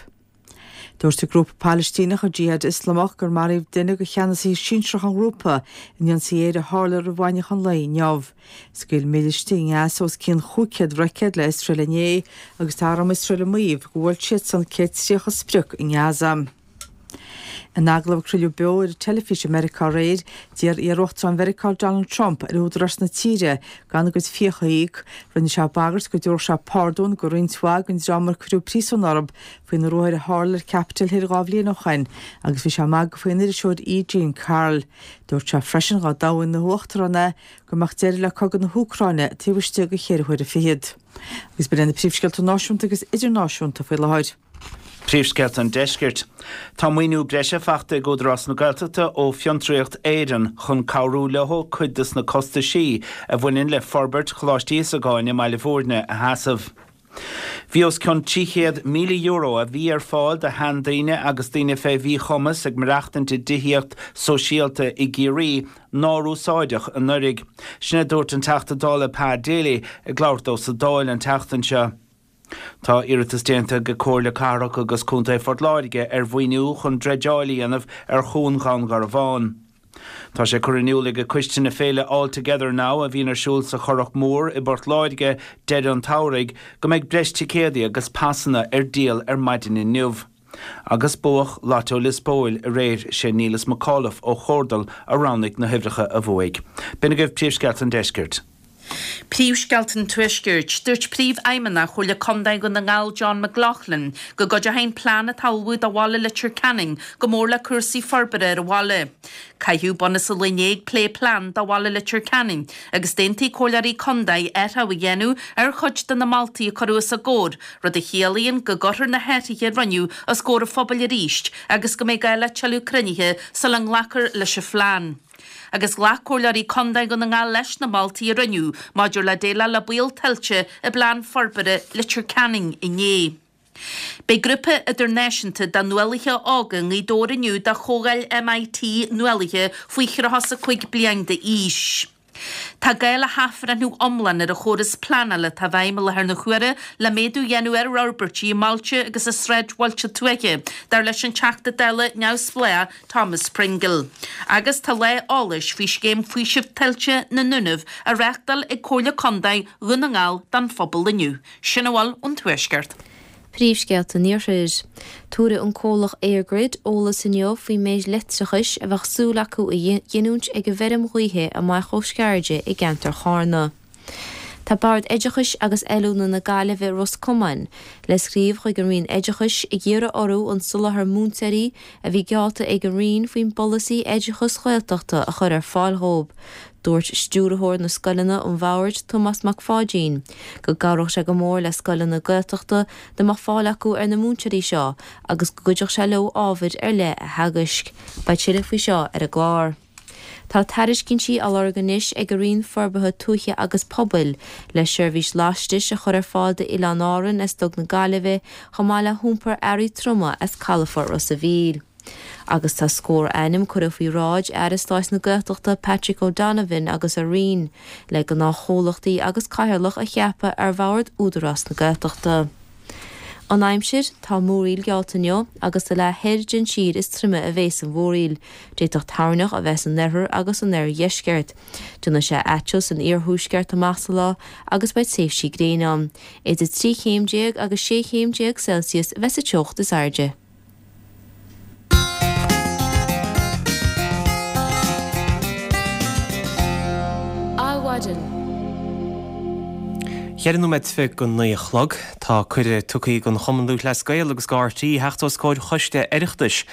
Dúirt an grúpa Palaistíneach, an Jihad Ioslamach, gur maraíodh duine de cheannasaithe sinsearacha an ghrúpa in ionsaí aeir a tharla roimh mhaidneachan lae inniu. Scaoil mílistigh i nGaza os cionn 500 roicéad le Iosrael inné agus tá arm Iosrael ag maíomh gur bhuail siadsan 130 sprioc i nGaza. In agallamh a craoladh beo ar an teilifís i Meiriceá aréir, d'iarr iar-uachtarán Mheiriceá Donald Trump ar údaráis na tíre gan a gcuid fiacha a íoc. Rinne sé bagairt go dtabharfadh sé pardún go roinnt mhaith den dream ar cuireadh príosún orthu faoi na ruathair a tharla ar Capitol Hill 2 bhliain ó shoin agus bhí sé ag magadh faoin iriseoir E. Jean Carroll. Dúirt sé freisin dhá dtoghfaí ina uachtarán é go mbeadh deireadh le cogadh na hÚcráine taobh istigh de cheithre huaire fichead. Agus b'in iad na príomhscéalta náisiúnta agus idirnáisiúnta faoi láthair. Príomhscéalta an Deiscirt. Tá maoiniú breise fachta ag Údarás na Gaeltachta ó Fiontraíocht Éireann chun cabhrú leo cuid des na costaisí a bhaineann le forbairt Choláiste Íosagáin i mBaile Bhúirne a sheasamh. Bhí os cionn €300,000 a bhí ar fáil do sheandaoine agus daoine fé mhíchumas ag maireachtaint i dtithíocht sóisialta i gCiarraí nár úsáideadh anuraidh. Sin a dúirt an Teachta Dála Pa Daly ag labhairt dó sa Dáil an tseachtain seo. Tá iarratas déanta ag Comhairle Cathrach agus Contae Phort Láirge ar mhaoiniú chun dreideáil a dhéanamh ar Chuan Dhún Garbhán. Tá sé curtha in iúl ag coiste na féile All Together Now a bhíonn ar siúl sa Churrach Mór i bPort Láirge deireadh an tsamhraidh go mbeidh breis ticéadaí agus pasanna ar díol ar maidin inniu. Agus buadh Lotto Lios Póil aréir, sé Niallas McAuliffe ó Chordal a roghnaigh na huimhreacha a bhuaigh. B'in agaibh Príomhscéalta an Deiscirt. Príomhscéalta an Tuaiscirt. Dúirt Príomhfheidhmeannach Chomhairle Contae Dhún na nGall John McLaughlin go gcuideoidh an plean atá á ullmhú do bhaile Leitir Ceanainn go mór le cúrsaí forbartha ar an bhaile. Caitheadh bunús an lae inné ag plé plean do bhaile Leitir Ceanainn agus d'aontaigh comhairleoirí contae athrú a dhéanamh ar chuid de na moltaí a cuireadh os a gcomhair, rud a chiallaíonn go gcuirfear na hathruithe a rinneadh os comhair an phobail arís agus go mbeidh gá le tuilleadh cruinnithe sula nglacfar leis an phlean. Agus ghlac Comhairleoirí Contae Dhún na nGall leis na moltaí a rinneadh maidir le déileáil le baol tuilte i bPlean Forbartha Leitir Ceanainn inné. Beidh grúpa idirnáisiúnta de nuálaithe óga i nGaoth Dobhair inniu do Chomhdháil MIT Nuálaithe faoi 35 bliain d'aois. Tá gá le hathbhreithniú iomlán ar an chóras pleanála atá i bhfeidhm i láthair na huaire le méadú a dhéanamh ar fhorbairtí i mbailte agus i sráidbhailte tuaithe, dar leis an Teachta Dála neamhspleách Thomas Pringle. Agus tá lá eolais faoi scéim faoisimh tuilte na nDúnaibh á reáchtáil ag Comhairle Contae Dhún na nGall don phobal inniu. Sin a bhfuil ón Tuaisceart. Príomhscéalta an Iarthair. Tabharfaidh an comhlacht EirGrid eolas inniu faoin méid leictreachais a bheadh súil acu a ghiniúint ag an bhfeirm ghaoithe amach ó Sceirde i gceantar Charna. Tá Bord Oideachais agus Oiliúna na Gaillimhe Ros Comáin le scríobh chuig an Roinn Oideachais ag iarraidh orthu an soláthar múinteoirí a bhí geallta ag an Roinn faoin bpolasaí oideachais Ghaeltachta a chur ar fáil dhóibh. Dúirt Stiúrthóir na Scoileanna an Bhoird, Tomás Mac Pháidín, go gcabhródh sé go mór le scoileanna Gaeltachta dá mbeadh fáil acu ar na múinteoirí seo agus go gcuideodh sé leo ábhair ar leith a theagaisc. Beidh tuilleadh faoi seo ar an gclár. Tá tairiscintí á lorg anois ag an Roinn Forbartha Tuaithe agus Pobail le seirbhís lastais a chur ar fáil d'Oileáin Árann as Duc na Gaillimhe chomh maith le hiompar earraí troma as Calafort Ros a' Mhíl. Agus tá scór ainm curtha faoi bhráid Aire Stáit na Gaeltachta Patrick O'Donovan agus a Roinn le gnáthchomhlachtaí agus cathaoirleach a cheapadh ar bhord Údarás na Gaeltachta. An aimsir, Tá múraíl geallta inniu agus sa leath thoir den tír is troime a bhéas an mhúraíl. D'fhéadfadh toirneach a bheith san oirthear agus san oirdheisceart. Déanfaidh sé aiteal san iarthuaisceart amach sa lá agus beidh tréimhsí gréine ann. Idir 13 chéim agus 16 chéim Celsius a bheas sa teocht is airde. Adhmhaidin. Cheithre nóiméad go 9 a chlog. Tá cuireadh tugtha don Chumann Lúthchleas Gael agus do RTÉ theacht os comhair choiste Oireachtais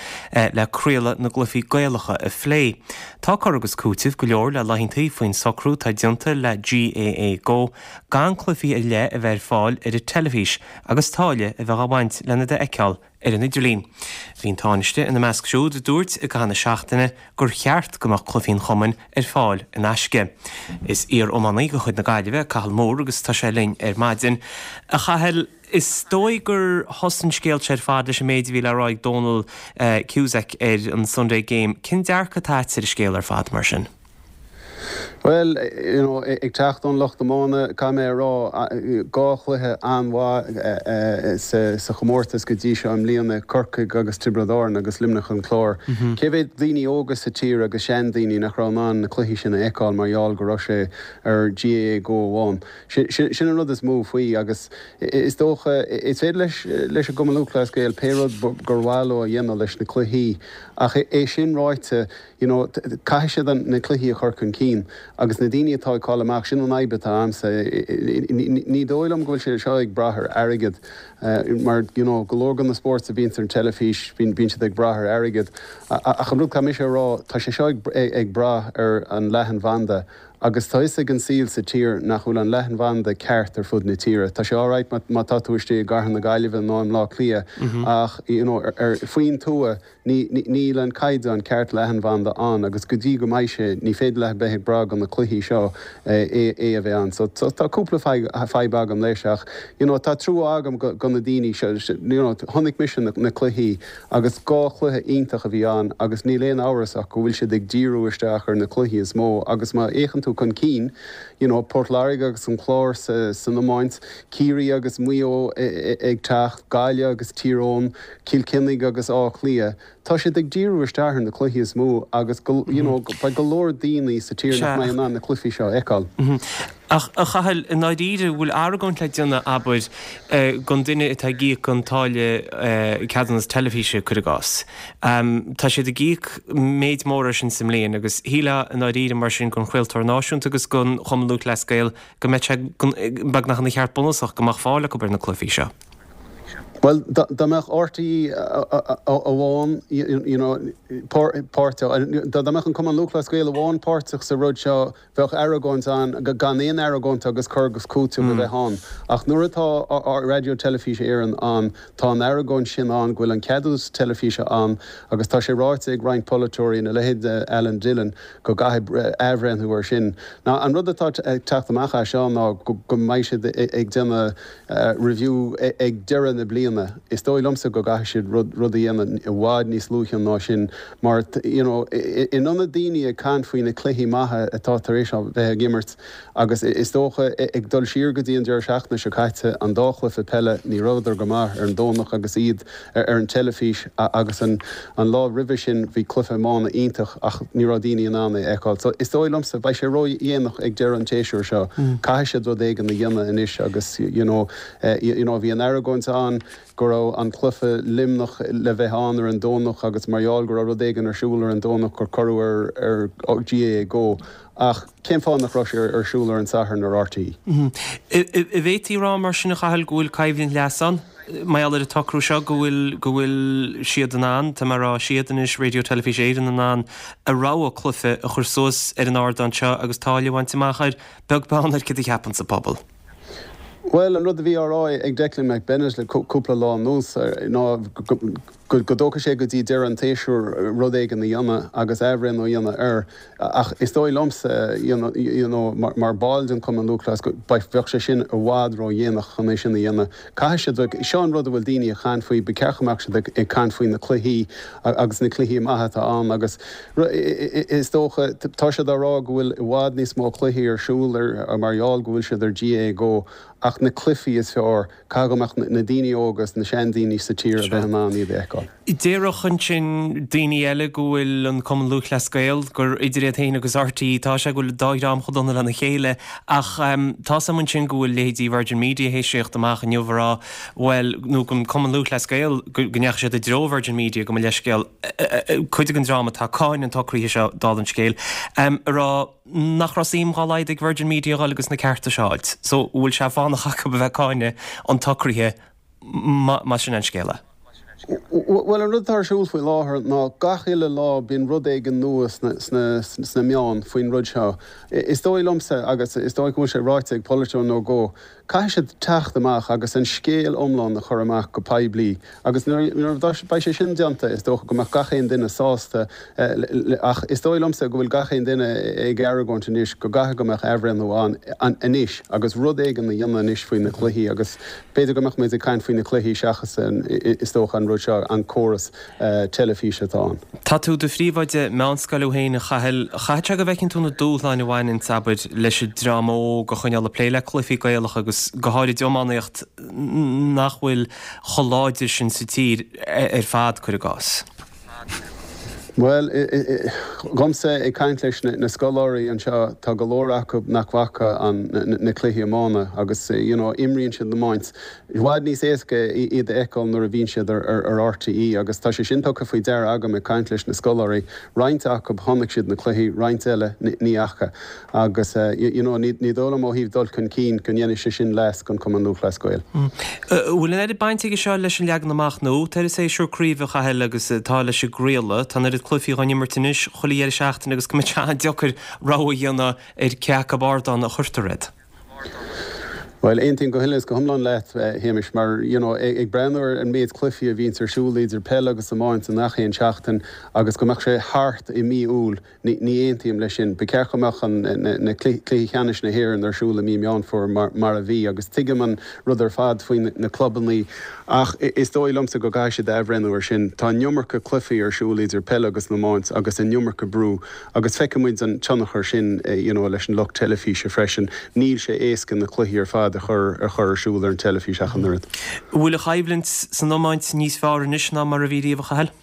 le craoladh na gcluichí Gaelacha a phlé. Tá cur agus cúiteamh go leor le laethantaí faoin socrú atá déanta le GAA Go gan cluichí ar leith a bheith ar fáil ar an teilifís agus táille a bheith á bhaint lena d'fheiceáil ar an idirlíon. Bhí an Tánaiste ina measc siúd a dúirt i gcaitheamh na seachtaine gur cheart go mbeadh cluichí an chumainn ar fáil in aisce. Is iar-iománaí de chuid na Gaillimhe é Cathal Moore agus tá sé linn ar maidin. A Chathail, is dóigh gur thosaigh an scéal seo ar fad leis an méid a bhí le rá ag Dónal Cusack ar an Sunday Game. Cén dearcadh atá agat ar an scéal ar fad mar sin? Bhuel, you know, ag teacht ón lucht iomána, caithfidh mé a rá, dhá chluiche an-mhaith sa chomórtas go dtí seo i mbliana, Corcaigh agus Tiobraid Árann agus Luimneach an Clár. Cé mhéad daoine óga sa tír agus seandaoine nach raibh in ann na cluichí sin a fheiceáil mar gheall go raibh sé ar GAA Go amháin? Sin an rud is mó faoi agus is dócha, is féidir leis leis an gCumann Lúthchleas Gael pé rud gur mhaith leo a dhéanamh leis na cluichí ach é sin ráite, You know, caithfidh siad na cluichí a chur chun cinn agus na daoine atá ag fáil amach, sin an fhadhb atá a'msa. Ní dóigh liom go bhfuil sé seo ag brath ar airgead mar, you know, go leor de na spóirt a bhíonns ar an teilifís, bíonn siad ag brath ar airgead. Ach an rud caithfidh mise a rá, tá sé seo ag brath ar an leathanbhanda agus tá fhios ag an saol sa tír nach bhfuil an leathanbhanda ceart ar fud na tíre. Tá sé alright má tá tú istigh i gcathair na Gaillimhe nó i mBleá Cliath ach, you know, faoin tuath, Níl an caighdeán ceart leathanbhanda ann agus go dtí go mbeidh sé, ní féidir leat bheith ag brath go na cluichí seo é a bheith ann. So tá cúpla fadhb agam leis ach you know tá trua agam go na daoine seo, you know chonaic mise na cluichí agus dhá chluiche iontach a bhí ann agus níl aon amhras ach go bhfuil siad ag díriú isteach ar na cluichí is mó agus má fhéachann tú chun cinn, you know Port Láirge agus an Clár san iomáint, Ciarraí agus Maigh Eo ag teacht, Gaillimh agus Tír Eoghain, Cill Chainnigh agus Áth Cliath, tá siad ag díriú isteach ar na cluichí is mó agus go, you know, beidh go leor daoine sa tír nach mbeidh in ann na cluichí seo a fheiceáil. Ach, a Chathail, i ndáiríre, bhfuil argóint le déanamh, abair, don duine atá ag íoc an táille ceadúnas teilifíse, cuir i gcás. Tá siad ag íoc méid mór air sin sa mbliain agus shílfeá i ndáiríre mar sin don chraoltóir náisiúnta agus don Chumann Lúthchleas Gael go mbeadh sé beagnach ina cheart bunúsach go mbeadh fáil acu ar na cluichí seo. Bhuel, dá mbeadh RTÉ amháin, you know, páirteach, dá mbeadh an Cumann Lúthchleas Gael amháin páirteach sa rud seo, bheadh argóint ann, gan aon argóint agus cur agus cúiteamh a bheith ann. Ach nuair atá Raidió Teilifíse Éireann ann, tá an argóint sin ann go bhfuil an ceadúnas teilifíse ann agus tá sé ráite ag roinnt polaiteoirí, ina leithéid de Alan Dillon, go gcaithfidh athbhreithniú air sin. Now, an rud atá ag teacht amach as seo ná go mbeidh siad ag déanamh review ag deireadh na bliana. mbliana. Is dóigh liomsa go gcaithfidh siad rud rud a dhéanamh i bhfad níos luaithe ná sin mar you know in ionad daoine ag caint faoi na cluichí maithe atá tar éis a bheith ag imirt agus is dócha ag dul siar go dtí an deireadh seachtaine seo caite an dá chluiche peile ní rabhadar go maith ar an Domhnach agus iad ar an teilifís agus an an lá roimhe sin bhí cluiche iomána iontach ach ní raibh daoine in ann é a fheiceáil. So is dóigh liomsa beidh sé ró-dhéanach ag deireadh an tséasúir seo. Caithfidh siad rud éigin a dhéanamh anois agus you know you know bhí an argóint ann go raibh an cluiche Luimneach le bheith ann ar an Domhnach agus mar gheall go raibh rud éigin ar siúl ar an Domhnach gur cuireadh ar ar GAA Go ach cén fáth nach raibh sé ar siúl ar an Satharn ar RTÉ? An bhféadfaí a rá mar sin a Chathail go bhfuil coimhlint leasa ann mar gheall ar an tsocrú seo go bhfuil go bhfuil siad in ann, tá mé ag rá siad anois, Raidió Teilifís Éireann in ann a rogha cluiche a chur suas ar an ardán seo agus táille a bhaint amach air, beag beann ar céard a cheapanns an pobal. Bhuel, an rud a bhí á rá ag Declan McBennett le cúpla lá anuas ná go dtógfaidh sé go dtí deireadh an tséasúir rud éigin a dhéanamh agus athbhreithniú a dhéanamh air. Ach is dóigh liomsa, you know, mar ball den Chumann Lúthchleas, go bheadh sé sin i bhfad ródhéanach chun é sin a dhéanamh. Caithfidh siad, seo an rud a bhfuil daoine ag caint faoi, ba cheart go mbeadh siad ag caint faoi na cluichí agus na cluichí maithe atá ann agus, Is dócha, tá siad á rá go bhfuil i bhfad níos mó cluichí ar siúl ar mar gheall go bhfuil siad ar GAA Go ach na cluichí is fearr, caithfidh go mbeadh na daoine óga is na seandaoine sa tír a bheith in ann iad a fheiceáil. Déarfadh ansin daoine eile go bhfuil an Cumann Lúthchleas Gael, gur idir iad féin agus RTÉ atá sé, go bhfuil an dá dhream chomh dona lena chéile ach tá's agam ansin go bhfuil leithéidí Virgin Media théis theacht amach inniu a rá bhuel, nó an Cumann Lúthchleas Gael, go ndeachaigh siad i dtreo Virgin Media, gabh mo leithscéal. cuid den dream atá ag cáineadh an tsocraithe seo, dála an scéil, ag rá nach raibh suim dá laghad ag Virgin Media a dhul agus na cearta seo a fháilt. So, an bhfuil sé fánach acu a bheith ag cáineadh an tsocraithe más sin an scéal é? Bhuel, an rud atá ar siúl faoi láthair ná gach uile lá bíonn rud éigin nua sna meáin faoin rud seo. Is dóigh liomsa, agus is dóigh go bhfuil sé ráite ag polaiteoir nó dhó, Caithfidh siad teacht amach agus an scéal iomlán a chur amach go poiblí agus nuair a bheidh sé sin déanta is dócha go mbeadh gach aon duine sásta ach is dóigh liomsa go bhfuil gach aon duine ag argóint anois go gcaithfidh go mbeadh athbhreithniú ann anois agus rud éigin a dhéanamh anois faoi na cluichí agus b'fhéidir go mbeadh muid ag caint faoi na cluichí seachas is dócha an rud seo, an córas. teilifíse atá ann. Tá tú i do phríomhoide meánscoile thú féin, a Chathail. Chaithfeadh sé go bhfeiceann tú na dúshláin a bhaineanns, abair, leis an dream óg a choinneáil ag plé le cluichí Gaelacha agus go háirid iománaíocht nach bhfuil chomh láidir sin sa tír ar fad, cuir i gcás. Bhuel, dhomsa, ag caint leis na scoláirí anseo, tá go leor acu nach bhfaca na cluichí iomána agus, you know, imríonn siad iomáint. I bhfad níos éasca iad a fheiceáil nuair a bhíonn siad ar RTÉ agus tá sé sin tugtha faoi deara agam ag caint leis na scoláirí. Roinnt acu, chonaic siad na cluichí, roinnt eile, ní fhaca. Agus you know ní dóigh liom ó thaobh dul chun cinn go ndéanfaidh sé sin leas don Chumann Lúthchleas Gael. An bhfuil an oiread baint aige seo leis an leagan amach nua atá ar an séasúr craoibhe, a Chathail, agus atá leis an gcraoladh? Tá an oiread cluichí á n-imirt anois chuile dheireadh seachtaine agus go mbeidh sé an-deacair rogha a dhéanamh ar cé acu ardán a chuirtear iad. Bhuel, aontaím go huile is go hiomlán leat, a Shéamais, mar, you know, ag breathnú ar an méid cluichí a bhíonns ar siúl idir peil agus iomáint i ngach aon seachtain agus go mbeadh sé thart i mí Iúil, ní, ní aontaím leis sin. Ba cheart go mbeadh an, na, na cluichí ceannais na hÉireann ar siúl i mí Meán Fómhair mar, mar a bhí agus tuigim an rud ar fad faoi na, na clubannaí ach is dóigh liomsa go gcaithfidh siad athbhreithniú ar sin. Tá an iomarca cluichí ar siúl idir peil agus iomáint agus an iomarca brú Agus feicfidh muid an tionchar sin you know leis an lucht teilifíse freisin. Níl sé éasca na cluichí ar fad a chur a chur ar siúl ar an teilifís ach an oiread. An bhfuil an choimhlint san iomáint níos fearr anois ná mar a bhí riamh, a Chathail?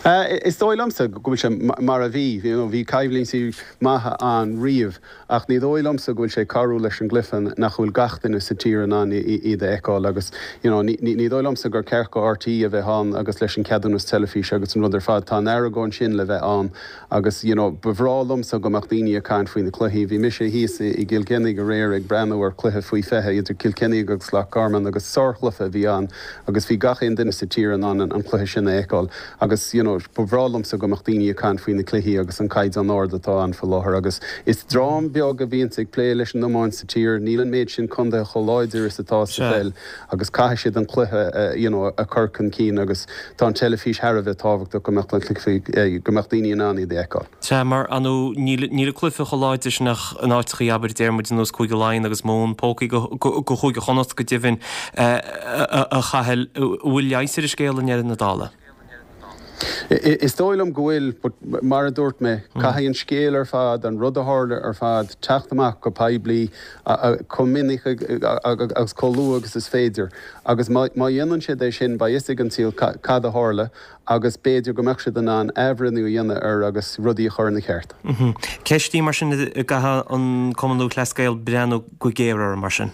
Is dóigh liomsa go bhfuil sé mar a bhí. You know bhí coimhlintí maithe ann riamh. Ach ní dóigh liomsa go bhfuil sé ag cabhrú leis an gcluiche nach bhfuil gach duine sa tír in ann iad a fheiceáil agus you know ní dóigh liomsa gur ceart go RTÉ a bheith ann agus leis an ceadúnas teilifíse agus an rud ar fad. Tá an argóint sin le bheith ann agus you know ba bhreá liomsa go mbeadh daoine ag caint faoi na cluichí. Bhí mise thíos i gCill Chainnigh aréir ag breathnú ar chluiche faoi 20 idir Cill Chainnigh agus Loch Garman agus sárchluiche a bhí ann agus bhí gach aon duine sa tír in ann an cluiche sin a fheiceáil agus you know. know, ba bhreá liomsa go mbeadh daoine ag caint faoi na cluichí agus an caighdeán ard atá ann faoi láthair agus is dream beag a bhíonns ag plé leis an iomáint sa tír, níl an méid sin contaetha chomh láidir is atá sa pheil agus caithfidh siad an cluiche, you know, a chur chun cinn agus tá an teilifís thar a bheith tábhachtach go mbeadh na cluichí, go mbeadh daoine in ann iad a fheiceáil. Sea, mar, ar ndóigh, níl, níl an cluiche chomh láidir sin ach in áiteachaí, abair, deir muid ar nós Cúige Laighean agus Mumhan, pócaí go, go, go Chúige Chonnacht go deimhin, a Chathail, an bhfuil leigheas ar an scéal i ndeireadh na dála? Is dóigh liom go bhfuil, but mar a dúirt mé, caithfidh an scéal ar fad, an rud a tharla ar fad, teacht amach go poiblí chomh minic agus chomh luath agus is féidir. Agus má dhéanann siad é sin, beidh fhios ag an saol cad a tharla agus b'fhéidir go mbeadh siad in ann athbhreithniú a dhéanamh air agus rudaí a chur ina cheart. Ceist í mar sin a gcaithfidh an Cumann Lúthchleas Gael breathnú go géar air mar sin.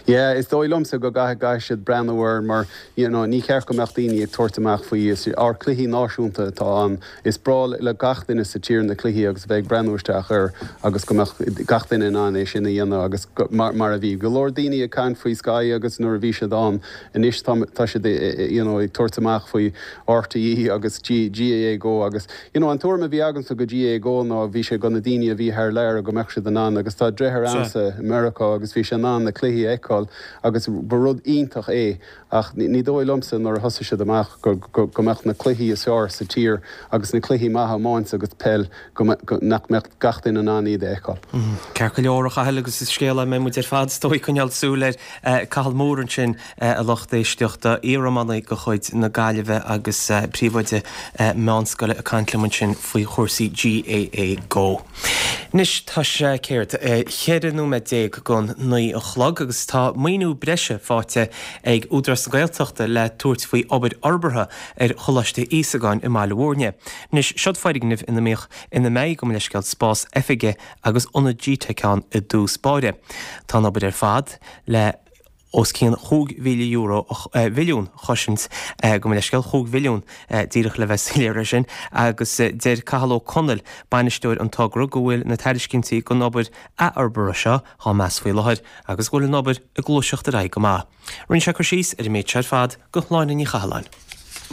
Yeah, is dóigh liomsa go gcaithfidh gcaithfidh siad breathnú air mar you know ní cheart go mbeadh daoine ag tabhairt amach faoi, is ár cluichí náisiúnta atá ann, is breá le gach duine sa tír na cluichí agus a bheith ag breathnú isteach air agus go mbeadh gach duine in ann é sin a dhéanamh agus mar mar a bhí go leor daoine ag caint faoi Sky agus nuair a bhí siad ann anois tá tá siad you know ag tabhairt amach faoi RTÉ agus GAA Go agus You know, an tuairim a bhí agamsa go GAA Go ná bhí sé go na daoine a bhí thar lear go mbeadh siad in ann agus tá deartháir a'msa i Meiriceá agus bhí sé in ann na cluichí a fheiceáil agus ba rud iontach é ach ní dóigh liomsa nuair a thosaigh siad amach go go go mbeadh na cluichí is fearr sa tír agus na cluichí maithe iomáint agus peil go go nach mbeadh gach duine in ann iad a fheiceáil. Ceart go leor a Chathail agus is scéal é a mbeidh muid ar fad is dóigh ag coinneáil súil air. Cathal Moore ansin a lucht éisteachta, iariománaí de chuid na Gaillimhe agus príomhoide meánscoile ag caint liom ansin faoi chúrsaí GAA Go. Anois tá sé céard, 14 nóiméad don 9 a chlog agus tá maoiniú breise faighte ag Údarás na Gaeltachta le tabhairt faoi obair fhorbartha ar Choláiste Íosagáin i mBaile Bhúirne. Anois seod foirgneamh ina mbíodh, ina mbeidh, gabh mo leithscéal, spás oifige agus ionad gteic ann i dtús báire. Tá an obair ar fad le os cionn €5,000, mhilliún a chosaint, gabh mo leithscéal, 5 mhilliún, díreach le bheith soiléir air sin, agus deir Cathal Ó Conaill, bainisteoir an togra, go bhfuil na tairiscintí don obair athfhorbartha seo á meas faoi láthair agus go bhfuil an obair ag gluaiseacht ar aghaidh go maith. Rinne sé cur síos ar an méid seo ar fad do Shláine Ní Chathalláin.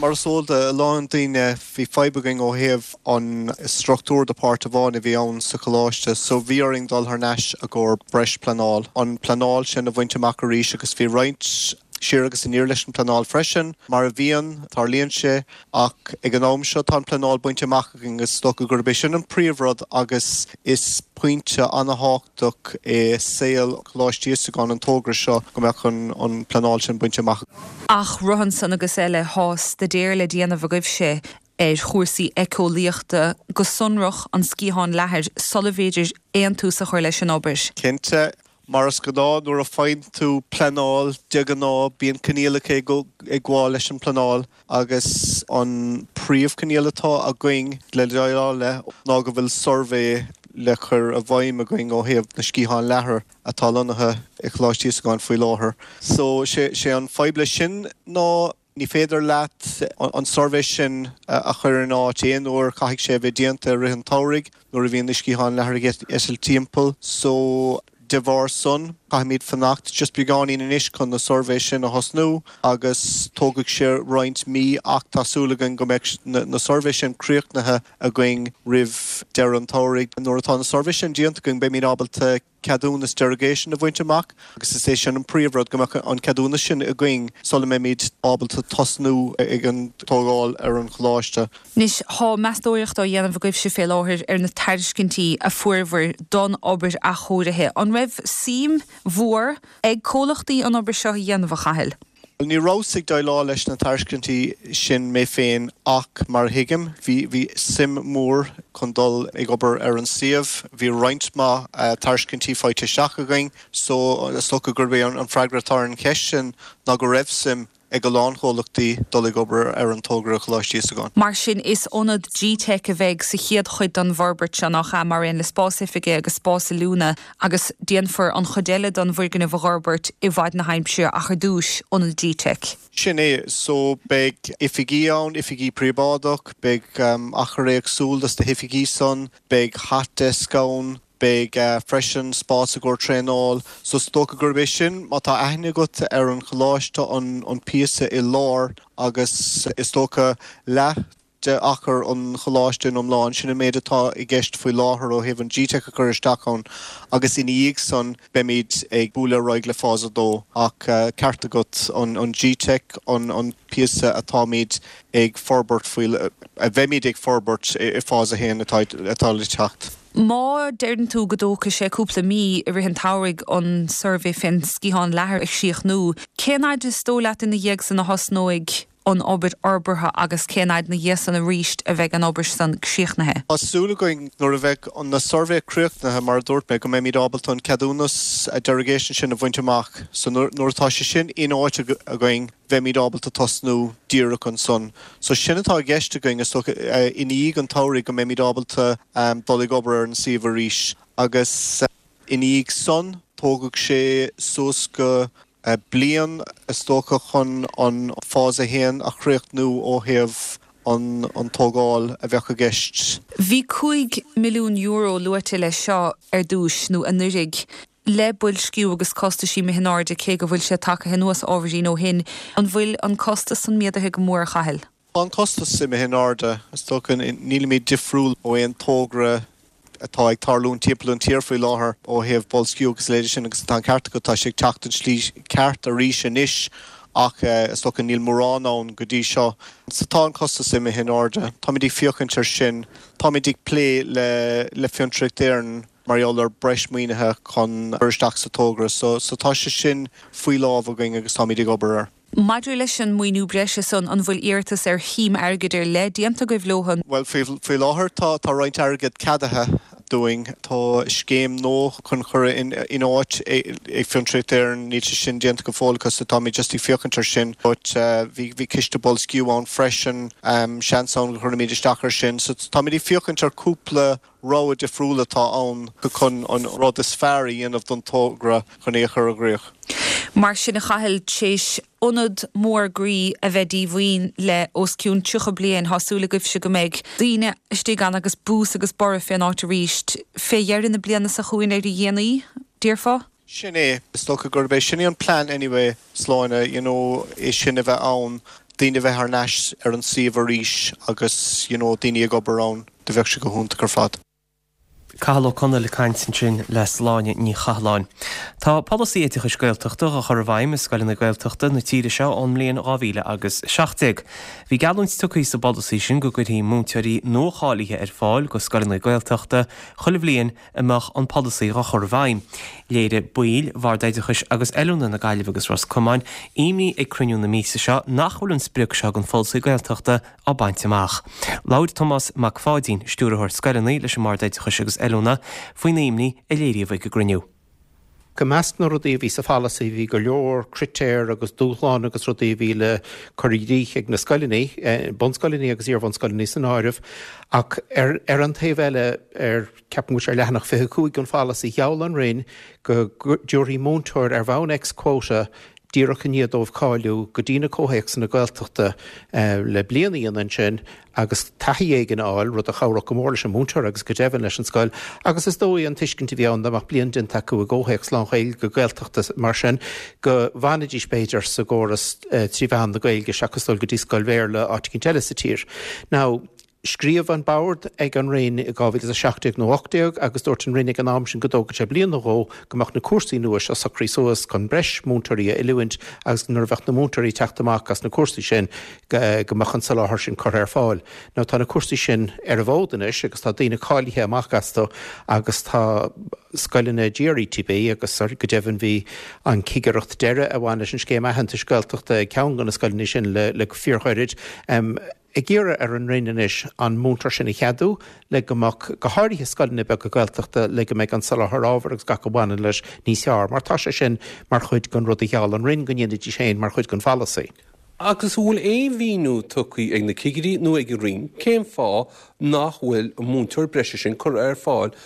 Mar is eol do a lán daoine, bhí fadhb againn ó thaobh an struchtúr de páirt amháin a bhí ann sa choláiste so bhí orainn dul thar n-ais i gcomhair breis pleanáil, an pleanáil sin a bhaint amach arís agus bhí roinnt siar agus aniar leis an pleanáil freisin, mar a bhíonn, tarlaíonn sé. Ach ag an am seo tá an pleanáil bainte amach againn agus is dócha gurb é sin an príomhrud agus is pointe an-thábhachtach i saol Choláiste Íosagáin an togra seo go mbeadh an pleanáil sin bainte amach. Ach roimhe san agus eile thá staidéar le déanamh agaibhse ar chúrsaí éiceolaíochta, go sonrach an sciathán leathair, sula bhféidir aon tús a chur leis an obair. Cinnte, Mar is gnáth nuair a faigheann tú pleanáil, de ghnáth bíonn coinníollacha ag gabháil leis an bpleanáil agus an príomhchoinníoll atá againn le déileáil le ná go bhfuil suirbhé le cur i bhfeidhm againn ó thaobh na sciathán leathair atá lonnaithe i Choláiste Íosagáin faoi láthair. So, sé an fadhb leis sin ná Ní féidir leat an suirbhé sin a chur in áit aon uair, caithfidh sé a bheith déanta i rith an tsamhraidh nuair a bhíonn na sciatháin leathair ag eitilt timpeall. So, de bharr san, caithfimid fanacht just beagáinín anois chun na suirbhé sin a thosnú agus tógfaidh sé roinnt mí ach tá súil againn go mbeidh na suirbhé sin críochnaithe againn roimh deireadh an tsamhraidh. Nuair atá na suirbhé sin déanta againn beimid ábalta ceadúnas derogation a bhaint amach agus is é sin an príomhrud, go mbeadh an ceadúnas sin againn sula mbeimid ábalta tosnú ag an tógáil ar an choláiste. Anois, thá meastóireacht á dhéanamh agaibhse fé láthair ar na tairiscintí a fuaireabhair don obair athchóirithe. An raibh suim mhór ag comhlachtaí an obair seo a dhéanamh, a Chathail? Bhuel, ní rabhas ag déileáil leis na tairiscintí sin mé féin ach, mar a thuigim, bhí, bhí suim mhór chun dul ag obair ar an suíomh. Bhí roinnt mhaith tairiscintí faighte isteach againn so is dócha gurb é an freagra atá ar an cheist sin ná go raibh suim ag a lán chomhlachtaí dul ag obair ar an togra i Choláiste Íosagáin. Mar sin, is ionad gteic a bheidh sa chéad chuid den bhforbairt seo, nach ea, mar aon le spás oifige agus spás oiliúna. Agus déanfar an chuid eile den bhfoirgneamh a dh'fhorbairt i bhfaid na haimsire ach ar dtúis, ionad gteic. Sin é. So beidh oifigí ann, oifigí príobháideach, beidh achar éagsúil dos na hoifigí san, beidh hot desk ann, beidh freisin spás i gcomhair traenáil. So is dócha gurb é sin, má tá aithne agat ar an choláiste, an píosa i lár agus is dócha leath. de achar an choláiste in iomlán, sin an méid atá i gceist faoi láthair ó thaobh an GTeic a chur isteach ann agus ina dhiaidh san beimid ag bualadh ar aghaidh le Fás 2. Ach ceart agat, an GTeic an píosa atáimid ag forbairt faoi, a bheimid ag forbairt i Fás 1 atá le teacht. Má deireann tú go dtógfaidh sé cúpla mí i rith an tsamhraidh an suirbhé fén sciathán leathair a chríochnú, cén fhaid is dóigh leat ina dhiaidh san a thosnóidh an obair fhorbartha agus cén fhaid ina dhiaidh san arís a bheidh an obair san críochnaithe? Tá súil againn nuair a bheidh na suirbhé críochnaithe, mar a dúirt mé, go mbeimid ábalta an ceadúnas derogation sin a bhaint amach. So nuair atá sé sin in áit againn, bheimid ábalta tosnú díreach ansan. So sin atá i gceist againn, is dócha, i ndiaidh an tsamhraidh go mbeimid ábalta dul ag obair ar an suíomh arís. Agus i ndiaidh san, tógfaidh sé suas go bliain, is dócha, chun an Phase 1 a chríochnú ó thaobh an tógáil a bheadh i gceist. Bhí €5 milliún luaite leis seo ar dtúis, nó anuraidh. Le boilsciú agus costaisí imithe in airde, cé go bhfuil sé tagtha anuas ábhairín ó shin, an bhfuil an costas san méadaithe go mór, a Chathail? Tá an costas imithe in airde. Is dócha, nílimid difriúil ó aon tógra atá ag tarlúint timpeall an tír faoi láthair ó thaobh boilsciú agus a leithéid sin agus tá an ceart agat, tá sé ag teacht an tslí ceart arís anois ach is dócha níl mórán ann go dtí seo. So tá an costas imithe in airde. Táimid ag féachaint ar sin. Táimid ag plé le Fiontraíocht Éireann. mar gheall ar breis maoinithe chun cur isteach sa togra so. So tá sé sin faoi lámh againn agus táimid ag obair air. Maidir leis an maoiniú breise san, an bhfuil iarratas ar shuim airgid ar leith déanta agaibh leo? Bhuel, faoi láthair tá tá roinnt airgead ceadaithe dúinn. Tá scéim nua chun cur in áit ag Fiontraíocht Éireann, níl sé sin déanta go fóill acu so táimid just ag féachaint ar sin. But bhí bhí ciste boilsciú ann freisin, seans ann go gcuirfimid isteach ar sin. So táimid ag féachaint ar cúpla rogha difriúil atá ann chun an rud is fearr a dhéanamh don togra chun é a chur i gcrích. Mar sin, a Chathail, t'éis ionad mór groí a bheith díomhaoin le os cionn 30 bliain, tá súil agaibhse go mbeidh daoine istigh ann agus bús agus borradh fén áit arís fé dheireadh na bliana seo chugainn ar a dhéanaí, déarfá? Sin é. Is dócha gurb é sin é an plean anyway, Sláine, you know, é sin a bheith ann, daoine a bheith thar n-ais ar an suíomh arís agus, you know, daoine ag obair ann, do bheadh sé go hiontach ar fad. Cathal Ó Conaill ag caint ansin le Sláine Ní Chathalláin. Tá polasaí oideachais Gaeltachta á chur i bhfeidhm i scoileanna Gaeltachta na tíre seo ón mbliain 2017. Bhí geallúint tugtha sa bpolasaí sin go gcuirfí múinteoirí nua-cháilithe ar fáil go scoileanna Gaeltachta chuile bhliain a mbeadh an polasaí á chur i bhfeidhm. Léirigh baill Bhord Oideachais agus Oiliúna na Gaillimhe agus Ros Comáin imní ag cruinniú na míosa seo nach bhfuil an sprioc seo den pholasaí Gaeltachta á baint amach. Labhair Tomás Mac Pháidín, Stiúrthóir Scoileanna leis an mBord Oideachais agus Oiliúna, faoin imní a léiríodh ag an gcruinniú. I measc na rudaí a bhí sa pholasaí bhí go leor critéar agus dúshlán agus rudaí a bhí le cur i gcrích ag na scoileanna, bunscoileanna agus iarbhunscoileanna san áireamh, ach ar an taobh eile, ar, ceapaim go bhfuil sé ar leathanach 25 den pholasaí, gheall an Roinn go dtabharfaí múinteoir ar bhonn ex quota díreach i ndiaidh dóibh cáiliú go dtí na comhthéacsanna Gaeltachta le bliain a dhéanamh ansin agus taithí éigin a fháil, rud a chabhródh go mór leis an múinteoir agus go deimhin leis an scoil. Agus is dóigh an tuiscint a bhí ann dá mbeadh bliain déanta acu i gcomhthéacs lán-Ghaeilge Gaeltachta mar sin go bhfanfaidís b'fhéidir sa gcóras trí mheán na Gaeilge seachas dul go dtí scoil Bhéarla áit eicínt eile sa tír. Now, Scríobh an Bord ag an Roinn i 2017 nó 18 agus dúirt an Roinn ag an am sin go dtógfadh sé bliain nó dhó go mbeadh na cúrsaí nua seo socraithe suas chun breis múinteoirí a oiliúint agus nuair a bheadh na múinteoirí ag teacht amach as na cúrsaí sin go mbeadh an soláthar sin curtha ar fáil. Now tá na cúrsaí sin ar an bhfód anois agus tá daoine cáilithe amach astu agus tá scoileanna GRETB agus go deimhin bhí an cigireacht deiridh a bhain leis an scéim aitheantais Gaeltachta ag ceann de na scoileanna sin le fíorghairid. ag iarraidh ar an Roinn anois an múinteoir sin a cheadú le go mbeadh, go háirithe scoileanna beaga Gaeltachta, le go mbeidh an soláthar ábhair agus gach a bhaineann leis níos fearr, mar tá sé sin mar chuid den rud a gheall an Roinn go ndéanfaidís féin mar chuid den pholasaí. Agus an bhfuil aon mhíniú tugtha ag na cigirí nó ag an Roinn cén fáth nach bhfuil an múinteoir breise sin curtha ar fáil?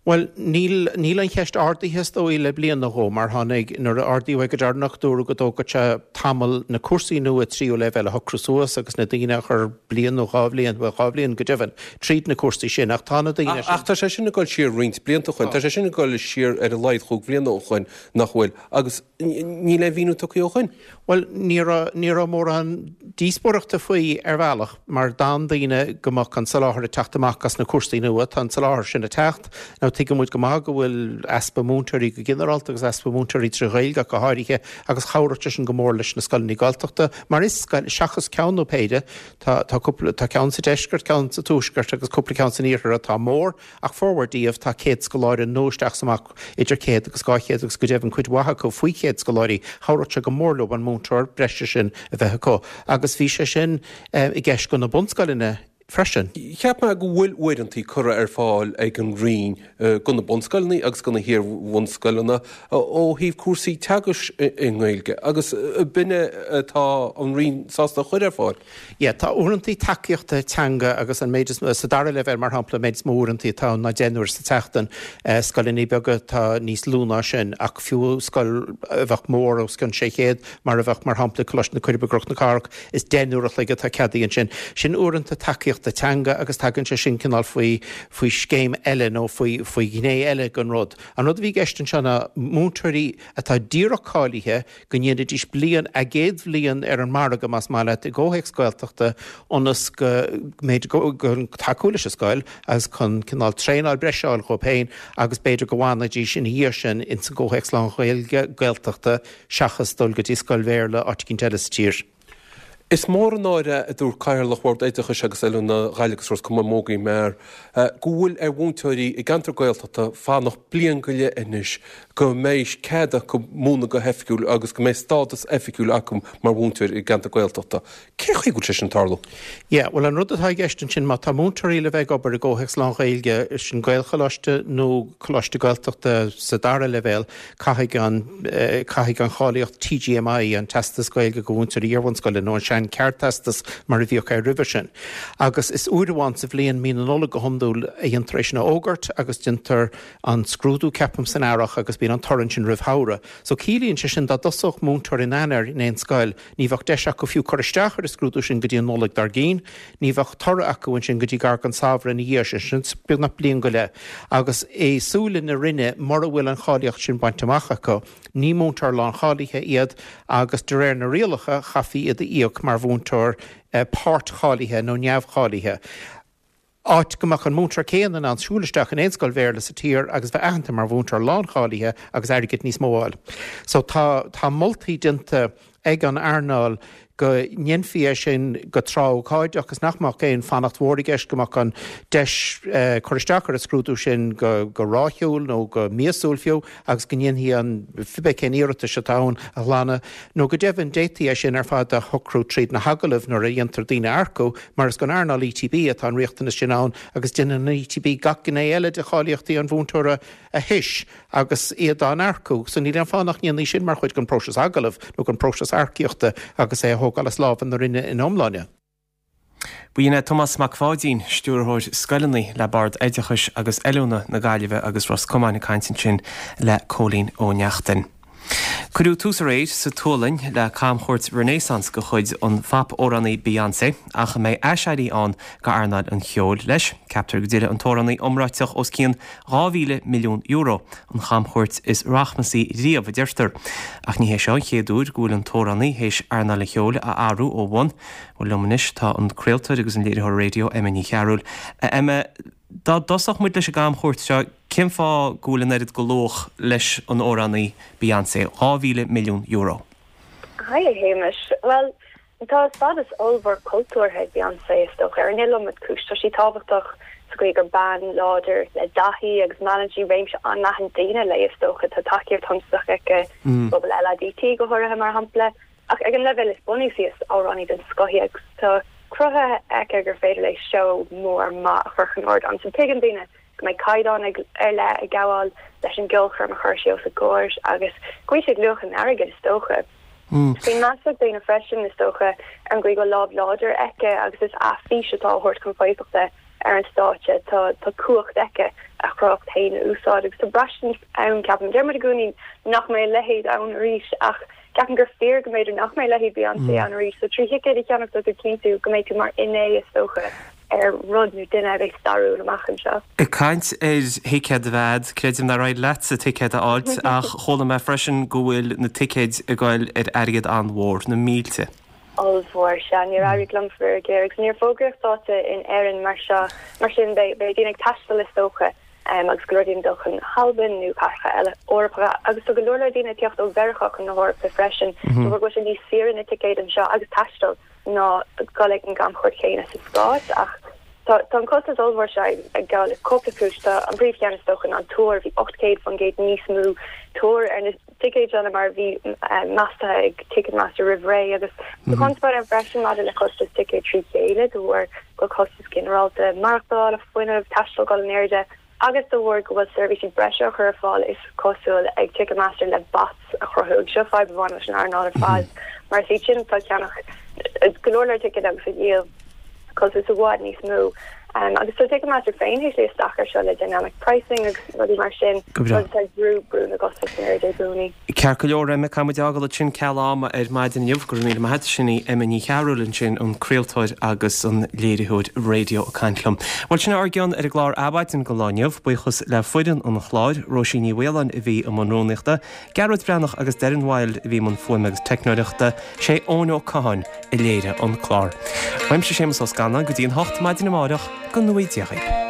Bhuel, níl, níl an cheist ardaithe is dóigh le bliain nó dhó, mar tháinig, nuair a ardaíodh é go deireanach, dúradh go dtógfadh sé tamall na cúrsaí nua tríú leibhéal a shocrú suas agus na daoine a chur bliain nó dhá bhliain, bhuel dhá bhliain go deimhin, tríd na cúrsaí sin. Ach tá na daoine sin. Ach tá sé sin ag dul siar roinnt blianta ó shoin. Tá sé sin ag dul siar ar a laghad chúig bhliana ó shoin, nach bhfuil? Agus níl aon mhíniú tugtha ó shoin. Bhuel, ní raibh, ní raibh mórán díospóireachta faoi ar bhealach mar d'fhan daoine go mbeadh an soláthar ag teacht amach as na cúrsaí nua. Tá an soláthar sin ag teacht. Now tuigeann muid go maith go bhfuil easpa múinteoirí go ginearálta agus easpa múinteoirí trí Ghaeilge ach go háirithe agus chabhródh sé sin go mór leis na scoileanna Gaeltachta mar is scoil, seachas ceann nó péire, tá, tá cúpla, tá ceann sa deisceart, ceann sa tuaisceart agus cúpla ceann san iarthar atá mór. Ach formhór díobh, tá 100 scoláire nó isteach is amach idir 100 agus 200 agus go deimhin cuid mhaith acu faoi 100 scoláirí, chabhródh sé go mór leo an múinteoir breise sin a bheith acu. Agus bhí sé sin i gceist do na bunscoileanna freisin. Cheap mé go bhfuil uaireantaí curtha ar fáil ag an Roinn do na bunscoileanna agus do na hiar-bhunscoileanna ó thaobh cúrsaí teagaisc i nGaeilge agus b'in é atá an Roinn sásta a chur ar fáil. Yeah, tá uaireantaí tacaíochta teanga agus an méid is mó, sa dara leibhéal mar shampla, an méid is mó uaireantaí atá ann ná 10 n-uair sa tseachtain. Scoileanna beaga tá níos lú ná sin ach fiú scoil a bheadh mór os cionn 600 mar a bheadh mar shampla Coláiste na Coiribe i gCnoc na Cathrach, is 10 n-uair a chloig atá ceadaithe ansin. Sin uaireanta tacaíochta teanga agus tagann sé sin cineál faoi, faoi scéim eile nó faoi, faoi ghné eile den rud. An rud a bhí i gceist anseo ná múinteoirí atá díreach cáilithe, go ndéanfaidís bliain, a gcéad bhliain ar an margadh, más maith leat, i gcomhthéacs Gaeltachta ionas go mb'fhéidir go tacú leis an scoil agus chun cineál traenáil breise a fháil dhóibh féin agus b'fhéidir go bhfanfaidís ina dhiaidh sin ins an gcomhthéacs lán-Ghaeilge Gaeltachta seachas dul go dtí scoil Bhéarla áit eicínt eile sa tír. Is mór an náire é, a dúirt Cathaoirleach Bhord Oideachais agus Oiliúna Ghaillimh agus Ros Comáin Mogie Meagher, go bhfuil ar mhúinteoirí i gceantar Gaeltachta fanacht bliain go leith anois go mbeidh cead acu múineadh go hoifigiúil agus go mbeidh stádas oifigiúil acu mar mhúinteoir i gceantar Gaeltachta. Cén chaoi go bhfuil sé sin ag tarlú? Yeah, bhuel an rud atá i gceist ansin, má tá múinteoirí le bheith ag obair i gcomhthéacs lán-Ghaeilge, sin Gaelcholáiste nó Coláiste Gaeltachta sa dara leibhéal, Caithfidh an, caithfidh an cháilíocht TGMI, an Teastas Gaeilge do Mhúinteoirí Iarbhunscoile, nó an sean-Cheardteastas mar a bhíodh air roimhe sin. Agus is uair amháin sa bhliain, mí na Nollag go hiondúil, a dhéantar é sin a fhógairt agus déantar an scrúdú, ceapaim, san earrach agus bíonn an toradh ansin roimh shamhradh. So ciallaíonn sé sin dá dtosódh múinteoir in Eanáir in aon scoil, Ní bheadh deis acu fiú cur isteach ar an scrúdú sin go dtí an Nollaig dár gcionn. Ní bheadh toradh acu ansin go dtí gar don samhradh ina dhiaidh sin, sin beagnach bliain go leith. Agus i súile na Roinne, mura bhfuil an cháilíocht sin bainte amach acu, ní múinteoir láncháilithe iad agus de réir na rialacha, chaithfí iad a íoc mar mhúinteoir páirt-cháilithe nó neamhcháilithe. áit go mbeadh an múinteoir céanna in ann siúl isteach in aon scoil Bhéarla sa tír agus bheith aitheanta mar mhúinteoir láncháilithe agus airgead níos mó a fháil. So tá, tá moltaí déanta ag an earnáil go ndéanfaí é sin go tráth-ócáideach agus nach mbeadh aon fanacht mhór i gceist, go mbeadh an deis cur isteach ar an scrúdú sin go, go ráithiúil nó go míosúil fiú agus go ndéanfaí an, cibé cén iarratais atá ann a ghlanadh, nó go deimhin d'fhéadfaí é sin ar fad a shocrú tríd na hagallaimh nuair a dhéantar daoine a earcú, mar is don earnáil ETB atá an riachtanas sin ann agus déanann an ETB gach gné eile de cháilíochtaí an mhúinteora a thomhas agus iad á n-earcú, so níl aon fáth nach ndéanfaí sin mar chuid den phróiseas agallaimh nó den phróiseas earcaíochta agus é a thógáil as lámha na Roinne ina iomláine. B'in é Tomás Mac Pháidín, Stiúrthóir Scoileanna le Bord Oideachais agus Oiliúna na Gaillimhe agus Ros Comáin ag caint ansin le Cóilín Ó Neachtain. Cuireadh tús aréir sa tSualainn le camchuairt Renaissance de chuid an phop-amhránaí Beyoncé, ach an mbeidh aiséirí ann d'earnáil an cheoil leis? Ceaptar go dtuillfidh an t-amhránaí iomráiteach os cionn €2,000 milliún, an chamchuairt is rachmasaí riamh, a deirtear. Ach ní hé seo an chéad uair go bhfuil an t-amhránaí théis earnáil an cheoil a athrú ó bhun. Bhuel, liom anois tá an craoltóir agus an léiritheoir raidió Emma Ní Chearúil. A Emma, dá dtosódh muid leis an gcamchuairt seo, cén fáth go bhfuil an oiread de luach leis an amhránaí Beyoncé, €2,000 milliún? Haigh a Shéamais. Bhuel, tá stádas ollmhór cultúrtha ag Beyoncé, is dócha, ar an iliomad cúis. Tá sí tábhachtach sa gcaoi gur bean láidir le dath í agus meallann sí réimse an-leathan daoine léi, is dócha. Tá tacaíocht shuntasach aici sa bpobal LADT go háirithe, mar shampla. Ach ag an leibhéal is bunúsaí, is amhránaí den scoth í agus tá cruthaithe aici gur féidir léi seó mór maith a chur chun ardáin. So tuigeann daoine go mbeidh caighdeán ar leith ag gabháil leis an gceolchoirm a chuir sí os a gcomhair agus go bhfuil sí ag luach an airgid, is dócha. Bíonn meas ag daoine freisin, is dócha, ar an gcaoi go bhfuil lámh láidir aici agus is a fís atá á thabhairt chun foirfeachta ar an stáitse. Tá cumhacht aici. a chruthaitheacht féin a úsáid agus tá braistint ann, ceapaim, deir muid i gcónaí nach mbeidh a leithéid ann arís ach ceapaim gur fíor go mb'fhéidir nach mbeidh a leithéid Beyoncé ann arís so trí thicéad a cheannach tá tú ag cinntiú go mbeidh tú mar fhinné is dócha ar rud nó duine a bheidh stairiúil amach anseo. Ag caint ar thicéad a bheith a'd, creidim nár éirigh leatsa ticéad a fháilt ach chuala mé freisin go bhfuil na ticéid ag goil ar airgead an-mhór, na mílte. ollmhór. Sea, níor éirigh liom faraor géar agus níor fógraíodh dáta in Éirinn mar seo, mar sin beidh daoine ag taisteal is dócha agus go leor daoine ag dul chun na hAlban nó cathracha eile Eorpacha agus tá go leor leor daoine ag teacht ó Mheiriceá chun na hEorpa freisin de bharr go bhfuil sé níos saoire na ticéid anseo agus taisteal ná dul ag an gcamchuairt chéanna sa Stáit ach tá tá an costas ollmhór seo ag gabháil le cúpla cúis. Tá an príomhcheann is dócha ná an tuar, bhí 800% níos mó tuar ar na ticéid seo ná mar a bhí measta ag Ticketmaster roimh ré agus tá conspóid ann freisin maidir le costas ticéad trí chéile de bharr go bhfuil costas ginearálta maireachtála, fuinnimh, taistil ag dul in airde agus de bharr go bhfuil seirbhísí breise á chur ar fáil is cosúil ag Ticketmaster le bots a chruthú agus seo fadhb a bhain leis an earnáil ar fad mar is iad sin atá ag ceannach go leor leor ticéad agus a dhíol costas i bhfad níos mó. Agus tá Ticketmaster féin théis luí isteach air seo le dynamic pricing agus rudaí mar sin, Go breá. rud atá ag brú brú na gcostas in airde i gcónaí. Ceart go leor, Emma, caithfidh muid é a fhágáil ansin ceal ama ar maidin inniu. Go raibh míle maith agat. Sin í Emma Ní Chearúil ansin, an craoltóir agus an léiritheoir raidió ag caint liom. Bhuel, sin é ár gcion ar an gclár Adhmhaidin don lá inniu. Buíochas le foireann an chláir, Róisín Ní Mhaoláin a bhí i mbun rúnaíochta, Gearóid Breathnach agus Darren Wilde a bhí i mbun fuaime agus teicneoireachta, sé Eoin Ó Catháin a léirigh an clár. Uaimse Séamus Ó Scanláin go dtí an 8 maidin amárach, go ngnóthaí Dia dhaoibh.